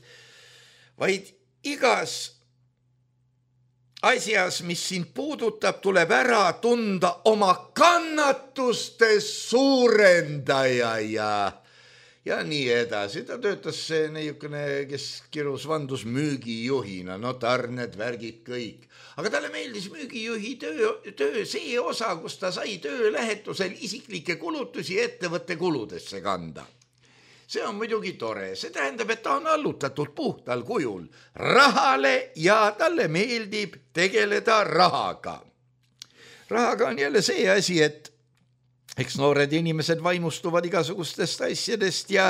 vaid igas asjas, mis sind puudutab, tuleb ära tunda oma kannatuste suurendaja ja, ja nii edasi. Ta töötas see neiukene, kes kirus vandus müügijuhina, no tarned, värgid kõik. Aga talle meeldis müügijuhi töö, töö see osa, kus ta sai töölähetusel isiklikke kulutusi ettevõtte kuludesse kanda. See on muidugi tore, see tähendab, et ta on allutatud puhtal kujul rahale ja talle meeldib tegeleda rahaga. Rahaga on jälle see asi, et eks noored inimesed vaimustuvad igasugustest asjadest ja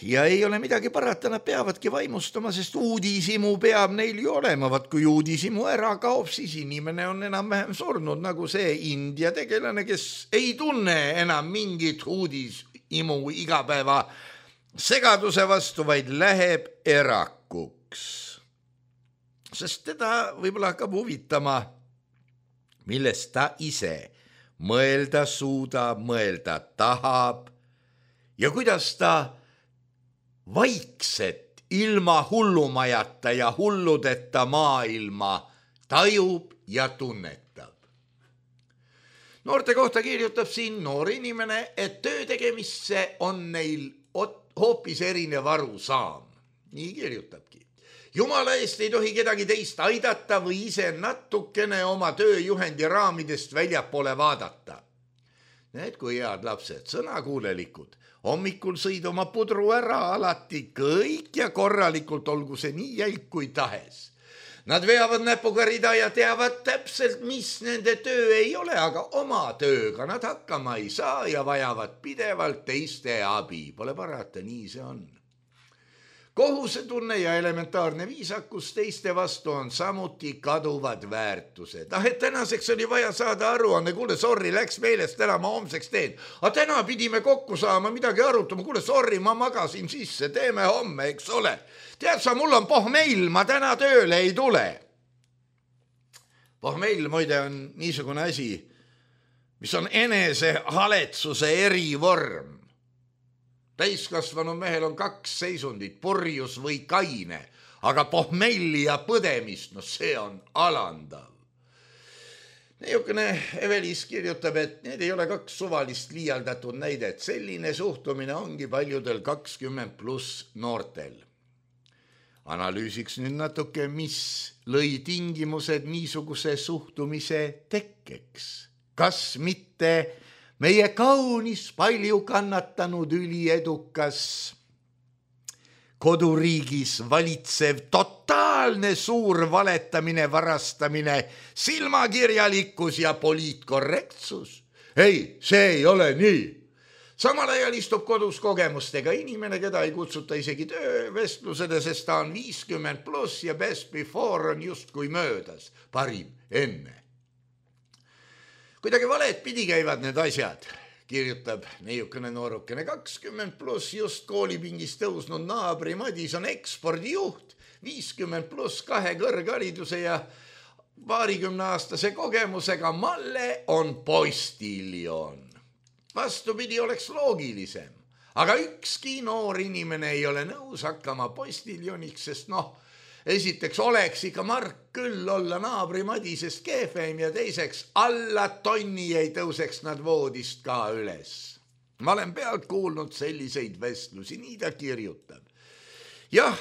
Ja ei ole midagi parata, nad peavadki vaimustama, sest uudisimu peab neil ju olema. Vaat kui uudisimu ära kaob, siis inimene on enam-vähem surnud, nagu see India tegelane, kes ei tunne enam mingit uudisimu igapäeva segaduse vastu, vaid läheb erakuks. Sest teda võib-olla hakkab huvitama, millest ta ise mõelda suudab, mõelda tahab ja kuidas ta vaikset ilma hullumajata ja hulludeta maailma tajub ja tunnetab. Noorte kohta kirjutab siin noor inimene, et töö tegemisse on neil hoopis erinev arusaam. Nii kirjutabki. Jumala eest ei tohi kedagi teist aidata või ise natukene oma tööjuhendi raamidest väljapoole vaadata. Need kui head lapsed, sõnakuulelikud. Hommikul sõid oma pudru ära alati kõik ja korralikult, olgu see nii jälg kui tahes. Nad veavad näpuga rida ja teavad täpselt, mis nende töö ei ole, aga oma tööga nad hakkama ei saa ja vajavad pidevalt teiste abi. Pole parata, nii see on. Kohusetunne ja elementaarne viisakus teiste vastu on samuti kaduvad väärtused. Ah, et tänaseks oli vaja saada aruanne, kuule, sorry, läks meelest ära, ma homseks teen. Aga täna pidime kokku saama, midagi arutama, kuule, sorry, ma magasin sisse, teeme homme, eks ole. Tead sa, mul on pohmeil, ma täna tööle ei tule. Pohmell muide on niisugune asi, mis on enese haletsuse erivorm. Täiskasvanu mehel on kaks seisundit, purjus või kaine, aga pohmelli ja põdemist, no see on alandav. Niisugune Evelis kirjutab, et need ei ole kaks suvalist liialdatud näidet. Selline suhtumine ongi paljudel kakskümmend pluss noortel. Analüüsiks nüüd natuke, mis lõi tingimused niisuguse suhtumise tekkeks. Kas mitte meie kaunis palju kannatanud üliedukas koduriigis valitsev totaalne suur valetamine, varastamine, silmakirjalikkus ja poliitkorrektsus? Ei, see ei ole nii. Samal ajal istub kodus kogemustega inimene, keda ei kutsuta isegi töövestlusele, sest ta on viiskümmend pluss ja best before on justkui möödas, parim enne. Kuidagi valet pidi käivad need asjad, kirjutab niisugune noorukene kakskümmend pluss just koolipingis tõusnud naabri Madis on ekspordijuht, viiskümmend pluss kahe kõrghariduse ja paarikümne aastase kogemusega Malle on postiljon. Vastupidi oleks loogilisem, aga ükski noor inimene ei ole nõus hakkama postiljoniks, sest noh, esiteks oleks ikka Mark küll olla naabri Madisest kehvem ja teiseks alla tonni ei tõuseks nad voodist ka üles. Ma olen pealt kuulnud selliseid vestlusi, nii ta kirjutab. Jah,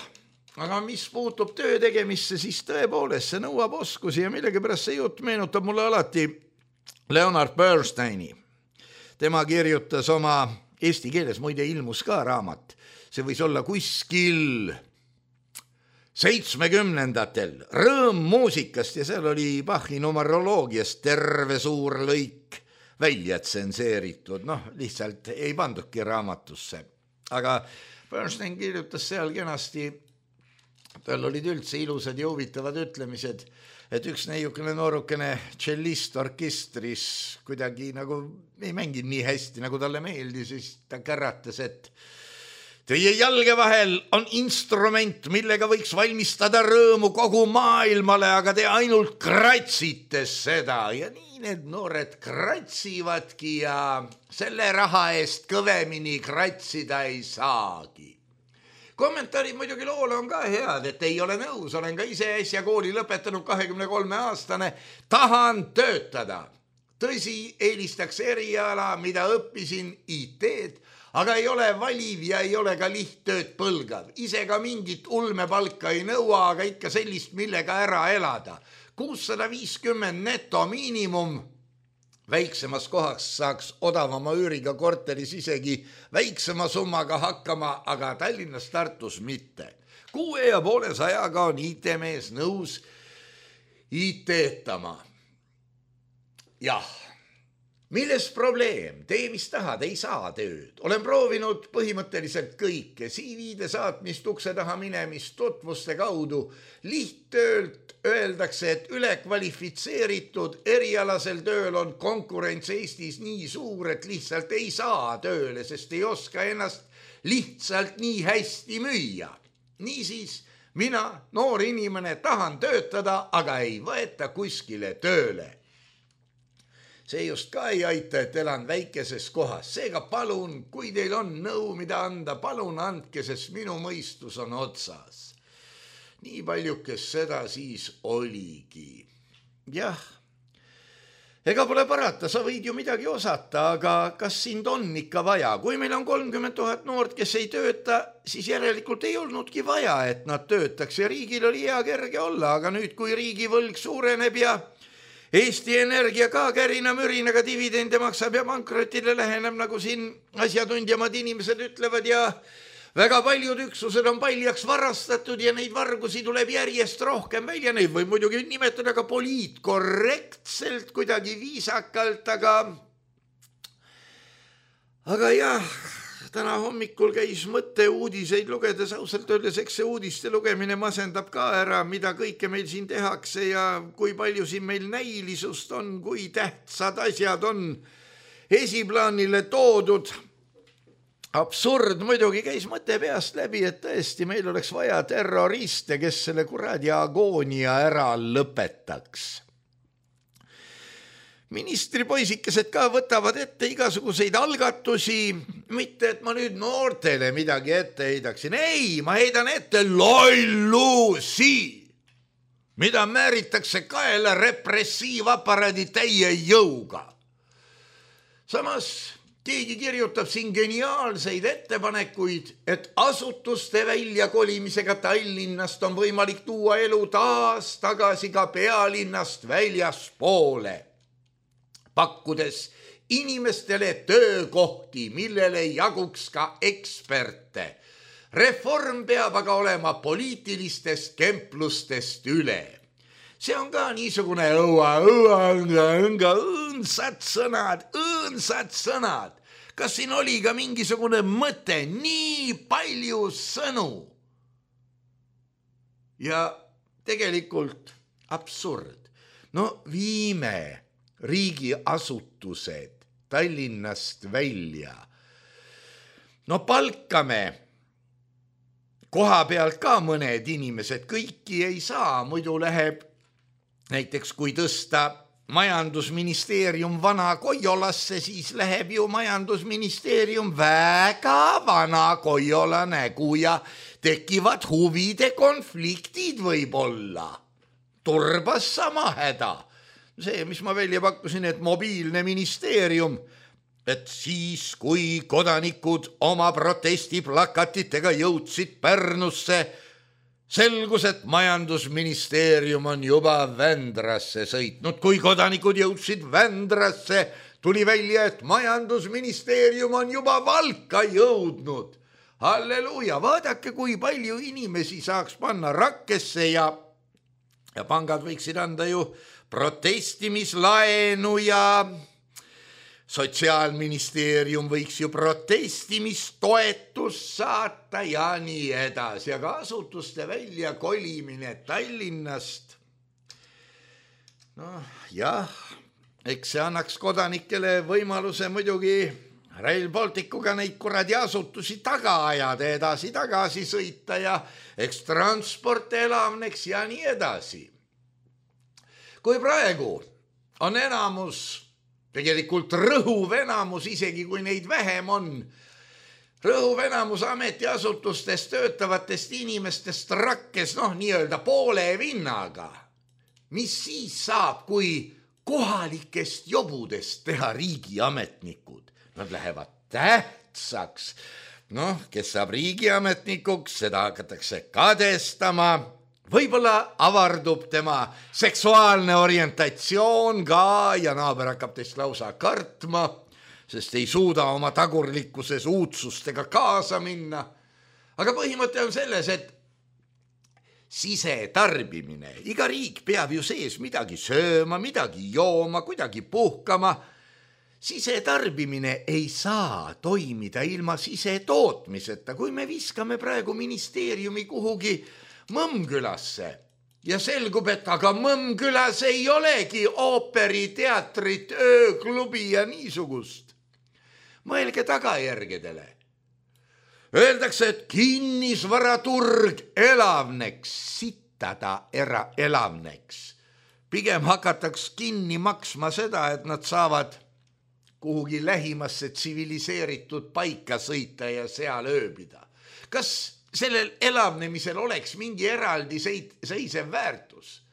aga mis puutub töö tegemisse, siis tõepoolest see nõuab oskusi ja millegipärast see jutt meenutab mulle alati Leonard Bernsteini. Tema kirjutas oma eesti keeles, muide ilmus ka raamat. See võis olla kuskil seitsmekümnendatel Rõõm muusikast ja seal oli Bachi numeroloogiast terve suur lõik välja tsenseeritud. Noh, lihtsalt ei pandudki raamatusse. Aga Bernstein kirjutas seal kenasti, tal olid üldse ilusad ja huvitavad ütlemised, et üks niisugune noorukene tšellist orkestris kuidagi nagu ei mänginud nii hästi, nagu talle meeldis, siis ta käratas, et teie jalge vahel on instrument, millega võiks valmistada rõõmu kogu maailmale, aga te ainult kratsite seda. Ja nii need noored kratsivadki ja selle raha eest kõvemini kratsida ei saagi. Kommentaarid muidugi loole on ka head, et ei ole nõus, olen ka ise äsja kooli lõpetanud kahekümne kolme aastane, tahan töötada. Tõsi, eelistaks eriala, mida õppisin I T-d, aga ei ole valiv ja ei ole ka lihttööd põlgav. Ise ka mingit ulmepalka ei nõua, aga ikka sellist, millega ära elada. kuussada viiskümmend neto miinimum. Väiksemas kohas saaks odavama üüriga korteris isegi väiksema summaga hakkama, aga Tallinnas Tartus mitte. Kuue ja poole sajaga on I T-mees nõus I T-tama. Jah, milles probleem? Tee, mis tahad, ei saa tööd. Olen proovinud põhimõtteliselt kõike. C V-de saatmist, ukse taha minemist, tutvuste kaudu. Lihttöölt öeldakse, et ülekvalifitseeritud erialasel tööl on konkurents Eestis nii suur, et lihtsalt ei saa tööle, sest ei oska ennast lihtsalt nii hästi müüa. Niisiis, mina, noor inimene, tahan töötada, aga ei võeta kuskile tööle. See just ka ei aita, et elan väikeses kohas. Seega palun, kui teil on nõu, mida anda, palun andke, sest minu mõistus on otsas. Nii paljukes seda siis oligi. Jah, ega pole parata, sa võid ju midagi osata, aga kas sind on ikka vaja? Kui meil on kolmkümmend tuhat noort, kes ei tööta, siis järelikult ei olnudki vaja, et nad töötaks ja riigil oli hea kerge olla, aga nüüd, kui riigi võlg suureneb ja Eesti Energia ka kärina mürinaga dividende maksab ja pankrotile läheneb, nagu siin asjatundjamad inimesed ütlevad ja väga paljud üksused on paljaks varastatud ja neid vargusi tuleb järjest rohkem välja. Neid võib muidugi nimetada ka poliitkorrektselt, kuidagi viisakalt, aga aga jah, täna hommikul käis mõte uudiseid lugedes, ausalt öeldes, eks see uudiste lugemine masendab ka ära, mida kõike meil siin tehakse ja kui palju siin meil näilisust on, kui tähtsad asjad on esiplaanile toodud. Absurd muidugi käis mõte peast läbi, et tõesti meil oleks vaja terroriste, kes selle kuradi agoonia ära lõpetaks. ministripoisikesed ka võtavad ette igasuguseid algatusi, mitte et ma nüüd noortele midagi ette heidaksin. Ei, ma heidan ette lollusi, mida määritakse kaela repressiivaparaadi täie jõuga. Samas keegi kirjutab siin geniaalseid ettepanekuid, et asutuste väljakolimisega Tallinnast on võimalik tuua elu taas tagasi ka pealinnast väljaspoole, pakkudes inimestele töökohti, millele jaguks ka eksperte. Reform peab aga olema poliitilistest kemplustest üle. See on ka niisugune õua, õua, õnga, õnga, õõnsad sõnad, õõnsad sõnad. Kas siin oli ka mingisugune mõte, nii palju sõnu? Ja tegelikult absurd. No viime riigiasutused Tallinnast välja. No palkame koha pealt ka mõned inimesed, kõiki ei saa, muidu läheb näiteks kui tõsta majandusministeerium vana Koiolasse, siis läheb ju majandusministeerium väga vana Koiola nägu ja tekivad huvide konfliktid võib-olla. Turbas sama häda. See, mis ma välja pakkusin, et mobiilne ministeerium, et siis, kui kodanikud oma protestiplakatitega jõudsid Pärnusse, selgus, et majandusministeerium on juba Vändrasse sõitnud. Kui kodanikud jõudsid Vändrasse, tuli välja, et majandusministeerium on juba Valka jõudnud. Halleluuja, vaadake, kui palju inimesi saaks panna Rakkesse ja, ja pangad võiksid anda ju protestimislaenu ja Sotsiaalministeerium võiks ju protestimistoetust saata ja nii edasi, aga asutuste välja kolimine Tallinnast. No jah, eks see annaks kodanikele võimaluse muidugi Rail Balticuga neid kuradi asutusi taga ajada, edasi tagasi sõita ja eks transport elavneks ja nii edasi. Kui praegu on enamus, tegelikult rõhuv enamus, isegi kui neid vähem on, rõhuv enamus ametiasutustes töötavatest inimestest Rakkes, noh, nii-öelda poole vinnaga. Mis siis saab, kui kohalikest jobudest teha riigiametnikud? Nad lähevad tähtsaks. Noh, kes saab riigiametnikuks, seda hakatakse kadestama. Võib-olla avardub tema seksuaalne orientatsioon ka ja naaber hakkab teist lausa kartma, sest ei suuda oma tagurlikkuses uudsustega kaasa minna. Aga põhimõte on selles, et sisetarbimine, iga riik peab ju sees midagi sööma, midagi jooma, kuidagi puhkama. Sisetarbimine ei saa toimida ilma sisetootmiseta, kui me viskame praegu ministeeriumi kuhugi Mõmmkülasse ja selgub, et aga Mõmmkülas ei olegi ooperi, teatrit, ööklubi ja niisugust. Mõelge tagajärgedele. Öeldakse, et kinnisvaraturg elavneks, sitada era elavneks. Pigem hakataks kinni maksma seda, et nad saavad kuhugi lähimasse tsiviliseeritud paika sõita ja seal ööbida. Kas sellel elavnemisel oleks mingi eraldi seisev väärtus?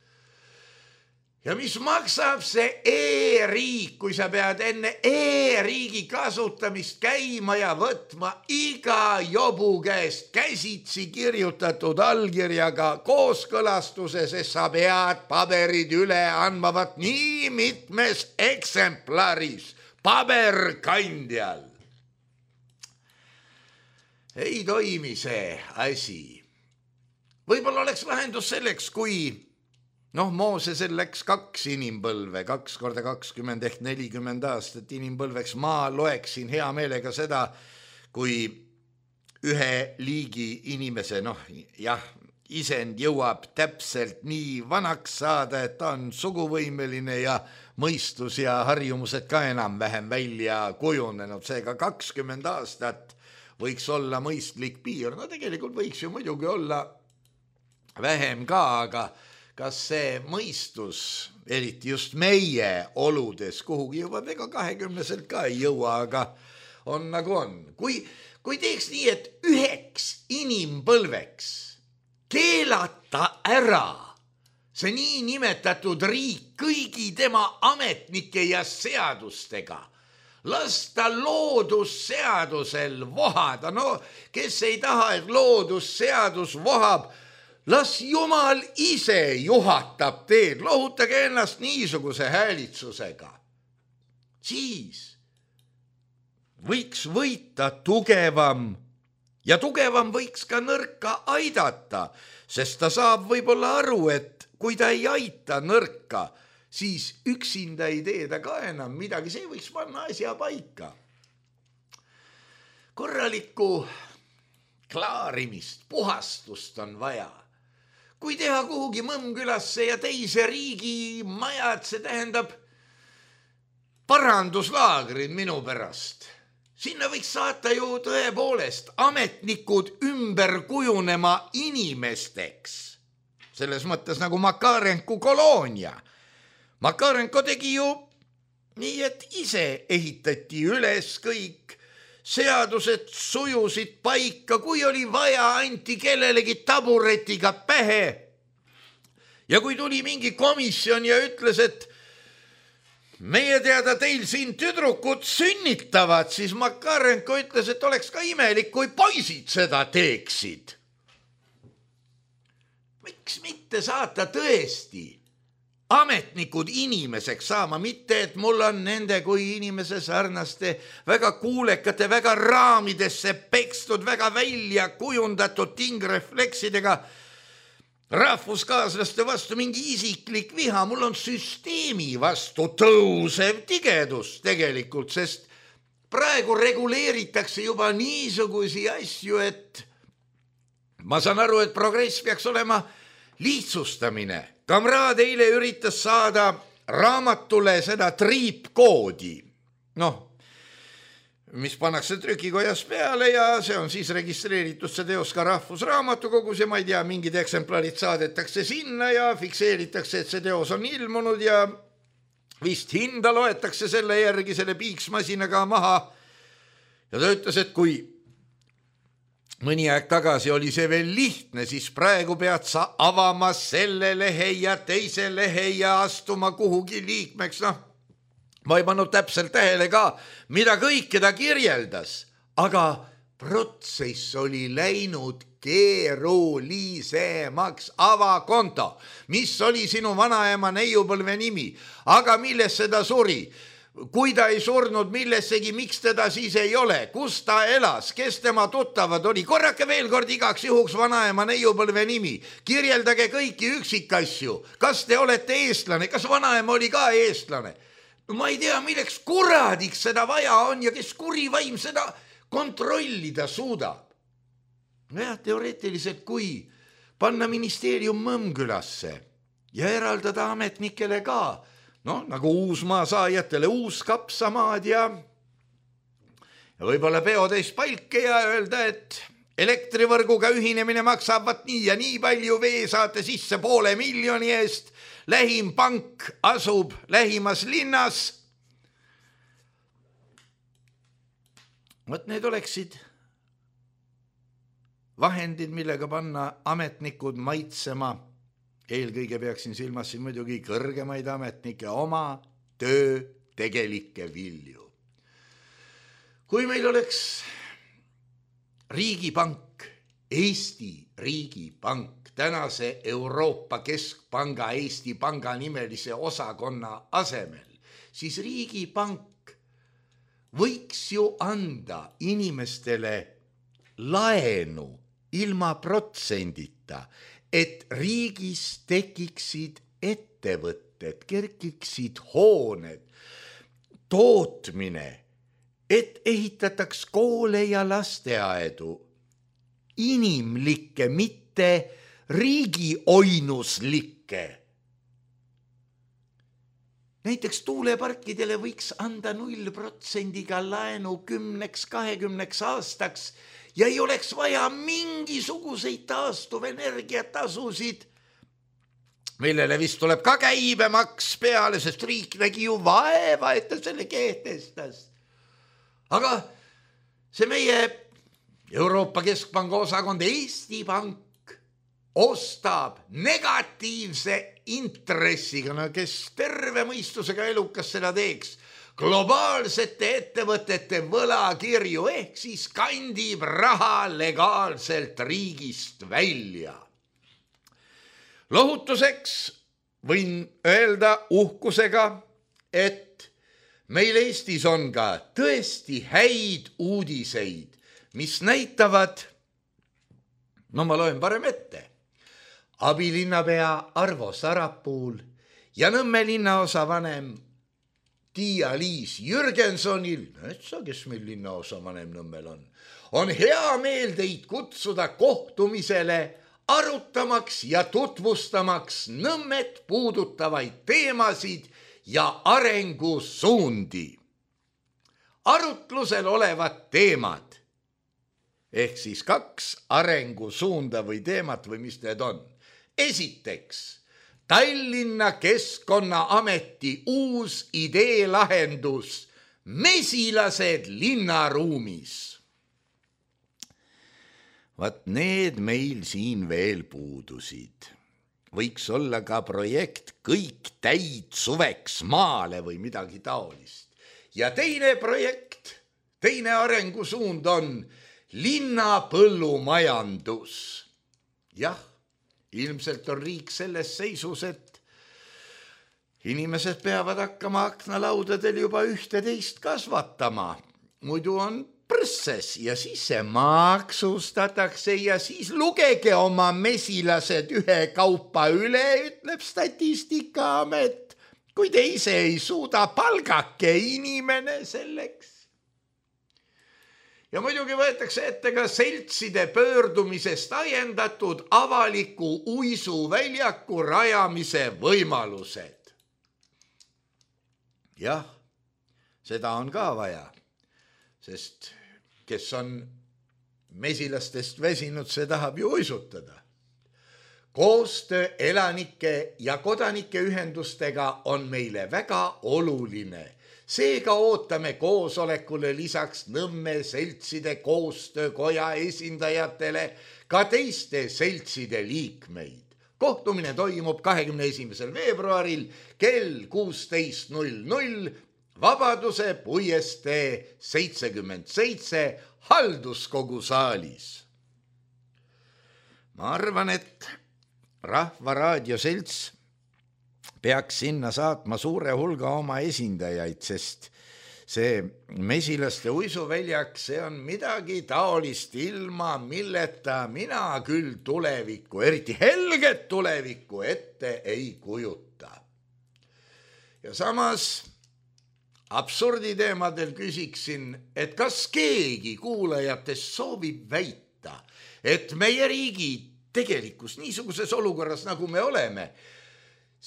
Ja mis maksab see e-riik, kui sa pead enne e-riigi kasutamist käima ja võtma iga jobu käest käsitsi kirjutatud allkirjaga kooskõlastuse, sest sa pead paberid üle andmavat nii mitmes eksemplaris paberkandjal. Ei toimi see asi. Võib-olla oleks lahendus selleks, kui noh, Moosesel läks kaks inimpõlve, kaks korda kakskümmend ehk nelikümmend aastat inimpõlveks. Ma loeksin hea meelega seda, kui ühe liigi inimese, noh jah, isend jõuab täpselt nii vanaks saada, et ta on suguvõimeline ja mõistus ja harjumused ka enam-vähem välja kujunenud. Seega kakskümmend aastat võiks olla mõistlik piir. No tegelikult võiks ju muidugi olla vähem ka, aga kas see mõistus, eriti just meie oludes, kuhugi juba ega kahekümneselt ka ei jõua, aga on nagu on. Kui, kui teeks nii, et üheks inimpõlveks keelata ära see nii nimetatud riik kõigi tema ametnike ja seadustega, lasta loodusseadusel vohada, no kes ei taha, et loodusseadus vohab, las Jumal ise juhatab teed, lohutage ennast niisuguse häälitsusega. Siis võiks võita tugevam ja tugevam võiks ka nõrka aidata, sest ta saab võib-olla aru, et kui ta ei aita nõrka, siis üksinda ei tee ta ka enam midagi, see võiks panna asja paika. Korralikku klaarimist, puhastust on vaja. Kui teha kuhugi Mõmmkülasse ja teise riigi majad, see tähendab paranduslaagrid minu pärast. Sinna võiks saata ju tõepoolest ametnikud ümber kujunema inimesteks. Selles mõttes nagu Makarenko koloonia. Makarenko tegi ju nii, et ise ehitati üles kõik, seadused sujusid paika, kui oli vaja, anti kellelegi taburetiga pähe. Ja kui tuli mingi komisjon ja ütles, et meie teada teil siin tüdrukud sünnitavad, siis Makarenko ütles, et oleks ka imelik, kui poisid seda teeksid. Miks mitte saata tõesti ametnikud inimeseks saama, mitte et mul on nende kui inimese sarnaste väga kuulekate, väga raamidesse pekstud, väga välja kujundatud tingrefleksidega rahvuskaaslaste vastu mingi isiklik viha. Mul on süsteemi vastu tõusev tigedus tegelikult, sest praegu reguleeritakse juba niisugusi asju, et ma saan aru, et progress peaks olema lihtsustamine. Kamraad eile üritas saada raamatule seda triipkoodi, noh, mis pannakse trükikojas peale ja see on siis registreeritud see teos ka Rahvusraamatukogus ja ma ei tea, mingid eksemplarid saadetakse sinna ja fikseeritakse, et see teos on ilmunud ja vist hinda loetakse selle järgi selle piiksmasinaga maha. Ja ta ütles, et kui mõni aeg tagasi oli see veel lihtne, siis praegu pead sa avama selle lehe ja teise lehe ja astuma kuhugi liikmeks. Noh, ma ei pannud täpselt tähele ka, mida kõike ta kirjeldas, aga protsess oli läinud keerulisemaks. Avakonto, mis oli sinu vanaema neiupõlve nimi, aga millesse ta suri? Kui ta ei surnud millessegi, miks teda siis ei ole, kus ta elas, kes tema tuttavad oli, korrake veel kord igaks juhuks vanaema neiupõlve nimi, kirjeldage kõiki üksikasju, kas te olete eestlane, kas vanaema oli ka eestlane. Ma ei tea, milleks kuradiks seda vaja on ja kes kuri vaim seda kontrollida suudab. No jah, teoreetiliselt kui panna ministeerium Mõmmkülasse ja eraldada ametnikele ka, noh, nagu uusmaa saajatele uus kapsamaad ja, ja võib-olla peotäis palke ja öelda, et elektrivõrguga ühinemine maksab vat nii ja nii palju, vee saate sisse poole miljoni eest, lähim pank asub lähimas linnas. Võt need oleksid vahendid, millega panna ametnikud maitsema. Eelkõige peaksin silmas siin muidugi kõrgemaid ametnike oma töö tegelikke vilju. Kui meil oleks riigipank, Eesti riigipank, tänase Euroopa Keskpanga Eesti Panga nimelise osakonna asemel, siis riigipank võiks ju anda inimestele laenu ilma protsendita, et riigis tekiksid ettevõtted, kerkiksid hooned, tootmine, et ehitataks koole ja lasteaedu, inimlikke, mitte riigioinuslikke. Näiteks tuuleparkidele võiks anda null protsendiga laenu kümneks, kahekümneks aastaks ja ei oleks vaja mingisuguseid taastuvenergiatasusid millele vist tuleb ka käibemaks peale, sest riik nägi ju vaeva, et ta selle kehtestas. Aga see meie Euroopa Keskpanga osakond Eesti Pank ostab negatiivse intressiga, no kes terve mõistusega elukas seda teeks, globaalsete ettevõtete võlakirju ehk siis kandib raha legaalselt riigist välja. Lohutuseks võin öelda uhkusega, et meil Eestis on ka tõesti häid uudiseid, mis näitavad, no ma loen parem ette, abilinnapea Arvo Sarapuul ja Nõmme linnaosavanem Tiia-Liis Jürgensonil, etsa, kes meil linnaosavanem Nõmmel on, on hea meel teid kutsuda kohtumisele arutamaks ja tutvustamaks Nõmmet puudutavaid teemasid ja arengusuundi. Arutlusel olevad teemad, ehk siis kaks arengusuunda või teemat või mis need on. Esiteks, Tallinna Keskkonnaameti uus ideelahendus mesilased linnaruumis. Vaat need meil siin veel puudusid. Võiks olla ka projekt Kõik täid suveks maale või midagi taolist. Ja teine projekt, teine arengusuund on linnapõllumajandus. Jah, ilmselt on riik selles seisus, et inimesed peavad hakkama aknalaudadel juba ühteteist kasvatama. Muidu on prõsses ja siis see maksustatakse ja siis lugege oma mesilased ühe kaupa üle, ütleb Statistikaamet, kui te ise ei suuda palgake inimene selleks. Ja muidugi võetakse ette ka seltside pöördumisest ajendatud avaliku uisuväljaku rajamise võimalused. Jah, seda on ka vaja, sest kes on mesilastest väsinud, see tahab ju uisutada. Koostöö elanike ja kodanike ühendustega on meile väga oluline. Seega ootame koosolekule lisaks Nõmme seltside koostöökoja esindajatele ka teiste seltside liikmeid. Kohtumine toimub kahekümne esimesel veebruaril kell kuusteist null null Vabaduse puiestee seitsekümmend seitse halduskogu saalis. Ma arvan, et Rahva Raadio selts peaks sinna saatma suure hulga oma esindajaid, sest see mesilaste uisuväljak, see on midagi taolist ilma, milleta mina küll tulevikku, eriti helget tulevikku ette ei kujuta. Ja samas absurditeemadel küsiksin, et kas keegi kuulajatest soovib väita, et meie riigi tegelikus niisuguses olukorras, nagu me oleme,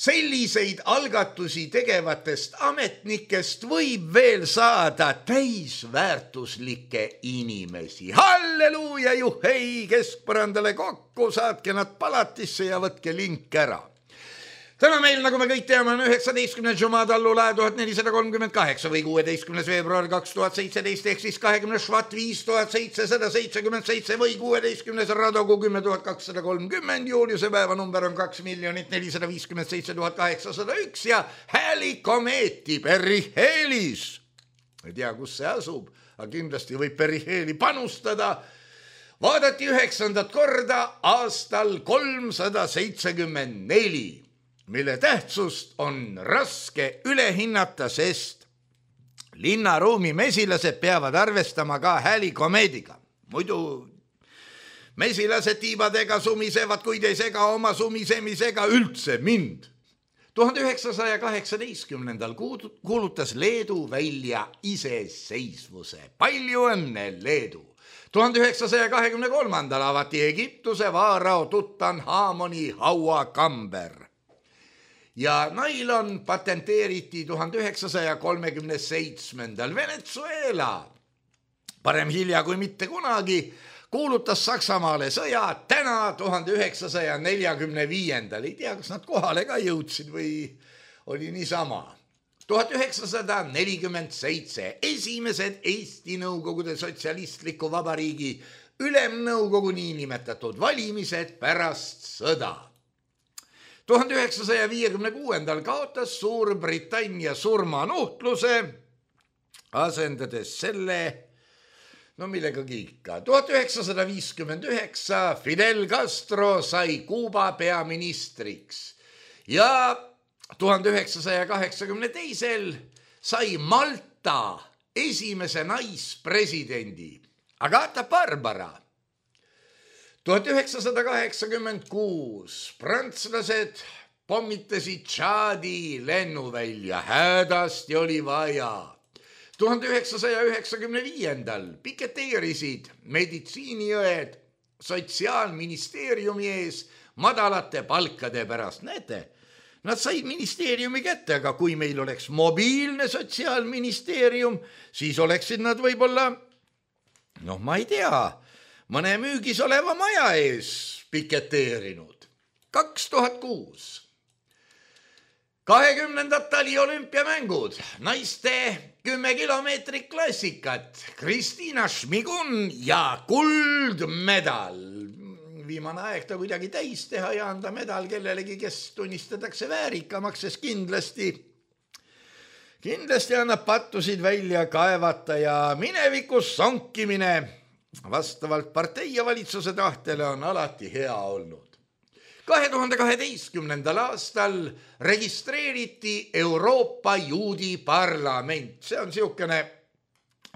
selliseid algatusi tegevatest ametnikest võib veel saada täisväärtuslikke inimesi. Halleluuja, juhei, keskpõrandale kokku, saatke nad palatisse ja võtke link ära. Täna meil, nagu me kõik teame, on üheksateistkümnes Jumad allulae tuhat nelisada kolmkümmend kaheksa või kuueteistkümnes veebruar kaks tuhat seitseteist ehk siis kahekümnes Švat viis tuhat seitsesada seitsekümmend seitse või kuueteistkümnes Radogu kümme tuhat kakssada kolmkümmend, Juliuse päeva number on kaks miljonit nelisada viiskümmend seitse tuhat kaheksasada üks ja Häälikomeeti Periheelis. Ei tea, kus see asub, aga kindlasti võib Periheeli panustada. Vaadati üheksandat korda aastal kolmsada seitsekümmend neli. Mille tähtsust on raske ülehinnata, sest linnaruumi mesilased peavad arvestama ka Häälikomeediga. Muidu mesilased tiibadega sumisevad, kuid ei sega oma sumisemisega üldse mind. tuhande üheksasaja kaheksateistkümnendal kuulutas Leedu välja iseseisvuse. Palju õnne, Leedu! tuhande üheksasaja kahekümne kolmandal avati Egiptuse vaarao Tutanhamoni hauakamber. Ja nailon patenteeriti tuhande üheksasaja kolmekümne seitsmendal Venezuela. Parem hilja kui mitte kunagi. kuulutas Saksamaale sõja täna tuhande üheksasaja neljakümne viiendal. Ei tea, kas nad kohale ka jõudsid või oli niisama. tuhat üheksasada nelikümmend seitse esimesed Eesti Nõukogude Sotsialistliku Vabariigi Ülemnõukogu niinimetatud valimised pärast sõda. tuhande üheksasaja viiekümne kuuendal kaotas Suurbritannia surmanuhtluse, asendades selle, no millegagi ikka. tuhat üheksasada viiskümmend üheksa Fidel Castro sai Kuuba peaministriks ja tuhande üheksasaja kaheksakümne teisel sai Malta esimese naispresidendi Agata Barbara. tuhat üheksasada kaheksakümmend kuus prantslased pommitasid Tšaadi lennuvälja, hädasti oli vaja. tuhande üheksasaja üheksakümne viiendal piketeerisid meditsiiniõed Sotsiaalministeeriumi ees madalate palkade pärast. Näete, nad said ministeeriumi kätte, aga kui meil oleks mobiilne Sotsiaalministeerium, siis oleksid nad võib-olla, noh, ma ei tea, mõne müügis oleva maja ees piketeerinud. kaks tuhat kuus kahekümnendad taliolümpiamängud, naiste kümme kilomeetrit klassikat, Kristiina Šmigun ja kuldmedal. Viimane aeg ta kuidagi täis teha ja anda medal kellelegi, kes tunnistatakse väärikamaks, sest kindlasti, kindlasti annab pattusid välja kaevata ja minevikus sonkimine vastavalt partei ja valitsuse tahtele on alati hea olnud. kahe tuhande kaheteistkümnendal aastal registreeriti Euroopa Juudi Parlament. See on siukene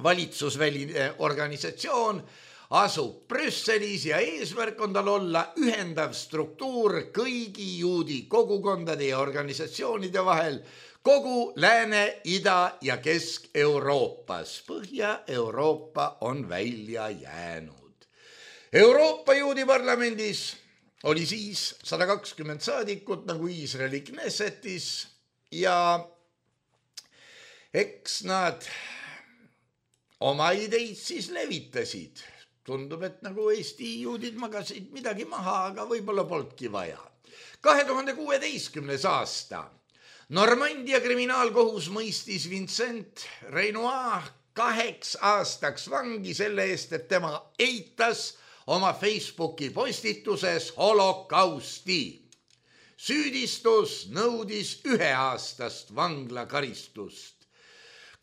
valitsusväline organisatsioon, asub Brüsselis ja eesmärk on tal olla ühendav struktuur kõigi juudi kogukondade ja organisatsioonide vahel kogu Lääne-, Ida- ja Kesk-Euroopas. Põhja-Euroopa on välja jäänud. Euroopa Juudi Parlamendis oli siis sada kakskümmend saadikut nagu Iisraeli Knessetis ja eks nad oma ideid siis levitasid. Tundub, et nagu Eesti juudid magasid midagi maha, aga võib-olla polnudki vaja. kahe tuhande kuueteistkümnes aasta Normandia kriminaalkohus mõistis Vincent Renoir kaheks aastaks vangi selle eest, et tema eitas oma Facebooki postituses holokausti. Süüdistus nõudis üheaastast vanglakaristust.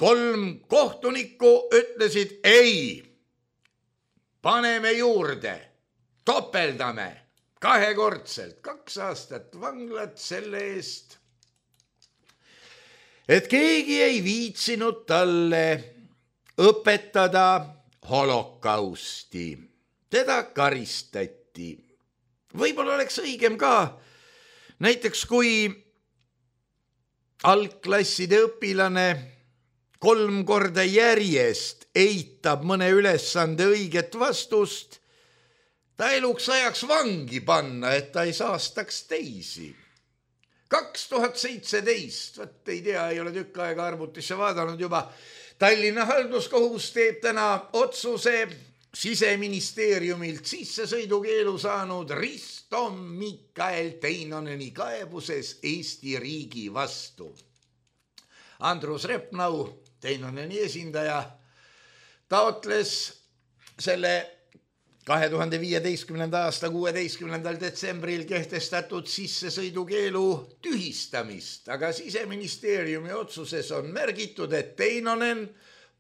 Kolm kohtunikku ütlesid ei, paneme juurde, topeldame kahekordselt, kaks aastat vanglat selle eest, et keegi ei viitsinud talle õpetada holokausti. Teda karistati. Võib-olla oleks õigem ka, näiteks kui algklasside õpilane kolm korda järjest eitab mõne ülesande õiget vastust, ta eluks ajaks vangi panna, et ta ei saastaks teisi. kaks tuhat seitseteist, võt ei tea, ei ole tükk aega arvutisse vaadanud juba, Tallinna halduskohus teeb täna otsuse Siseministeeriumilt sissesõidukeelu saanud Risto Mikael Teinoneni kaebuses Eesti riigi vastu. Andrus Repnau, Teinoneni esindaja, taotles selle kahe tuhande viieteistkümnenda aasta kuueteistkümnendal detsembril kehtestatud sissesõidukeelu tühistamist, aga Siseministeeriumi otsuses on märgitud, et Teinonen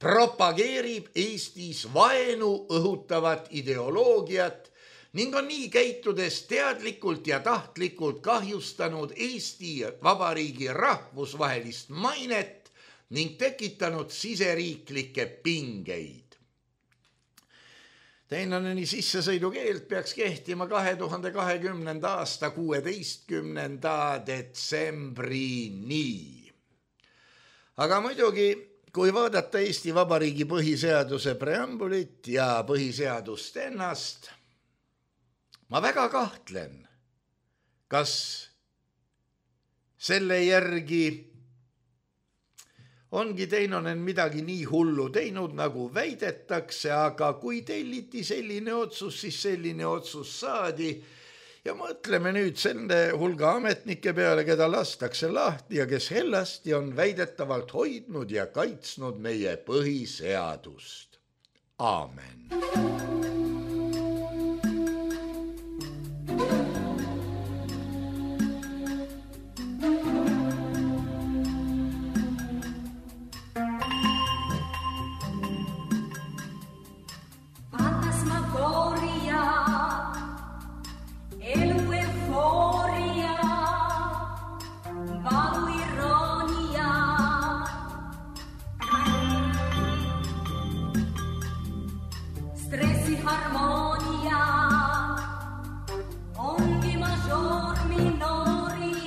propageerib Eestis vaenu õhutavat ideoloogiat ning on nii käitudes teadlikult ja tahtlikult kahjustanud Eesti Vabariigi rahvusvahelist mainet ning tekitanud siseriiklikke pingeid. Teinoneni sissesõidukeeld peaks kehtima kahe tuhande kahekümnenda aasta kuueteistkümnenda detsembrini. Aga muidugi, kui vaadata Eesti Vabariigi põhiseaduse preambulit ja põhiseadust ennast, ma väga kahtlen, kas selle järgi ongi teinonen midagi nii hullu teinud, nagu väidetakse, aga kui telliti selline otsus, siis selline otsus saadi. Ja mõtleme nüüd selle hulga ametnike peale, keda lastakse lahti ja kes hellasti on väidetavalt hoidnud ja kaitsnud meie põhiseadust. Aamen. Minoria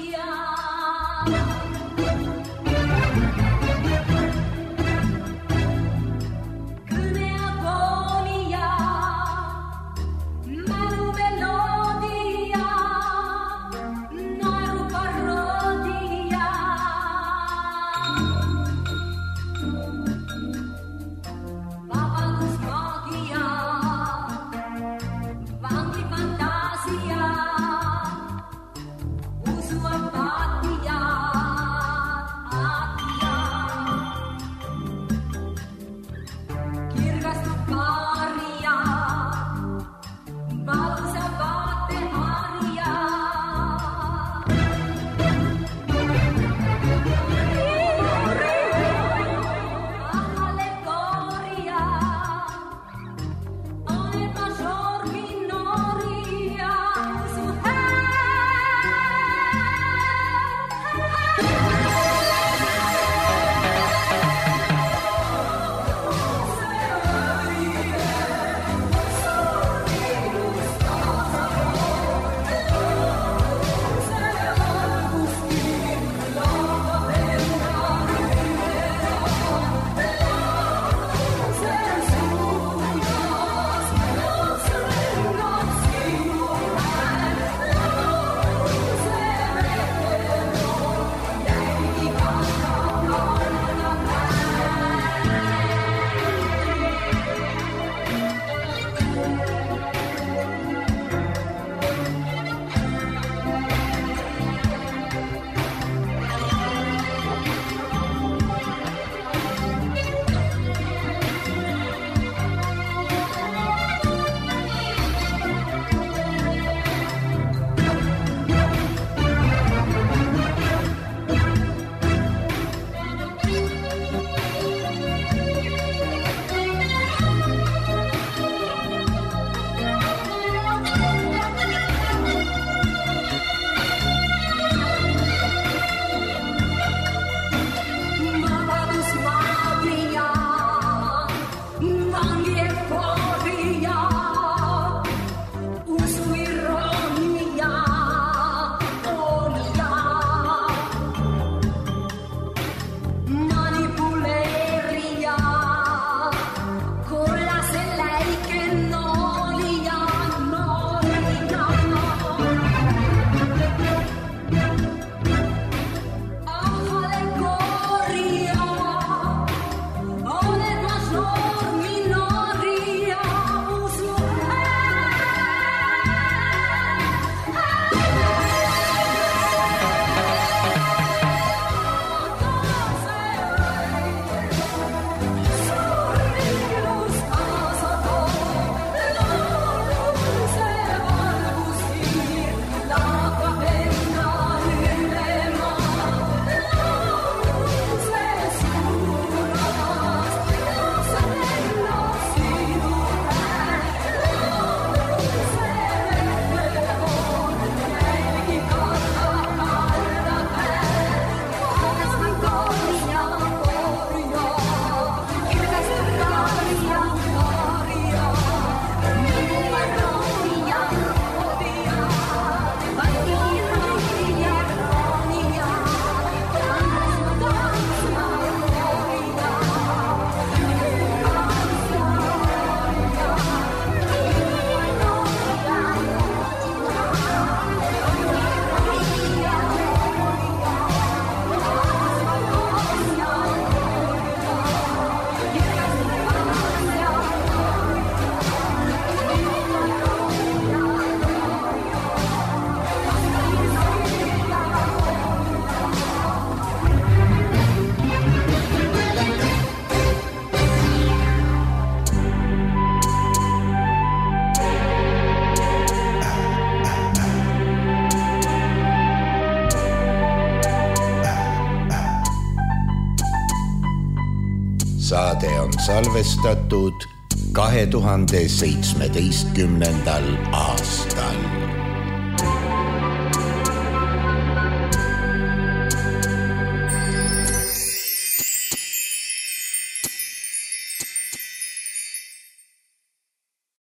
salvestatud kahe tuhande seitsmeteistkümnendal aastal.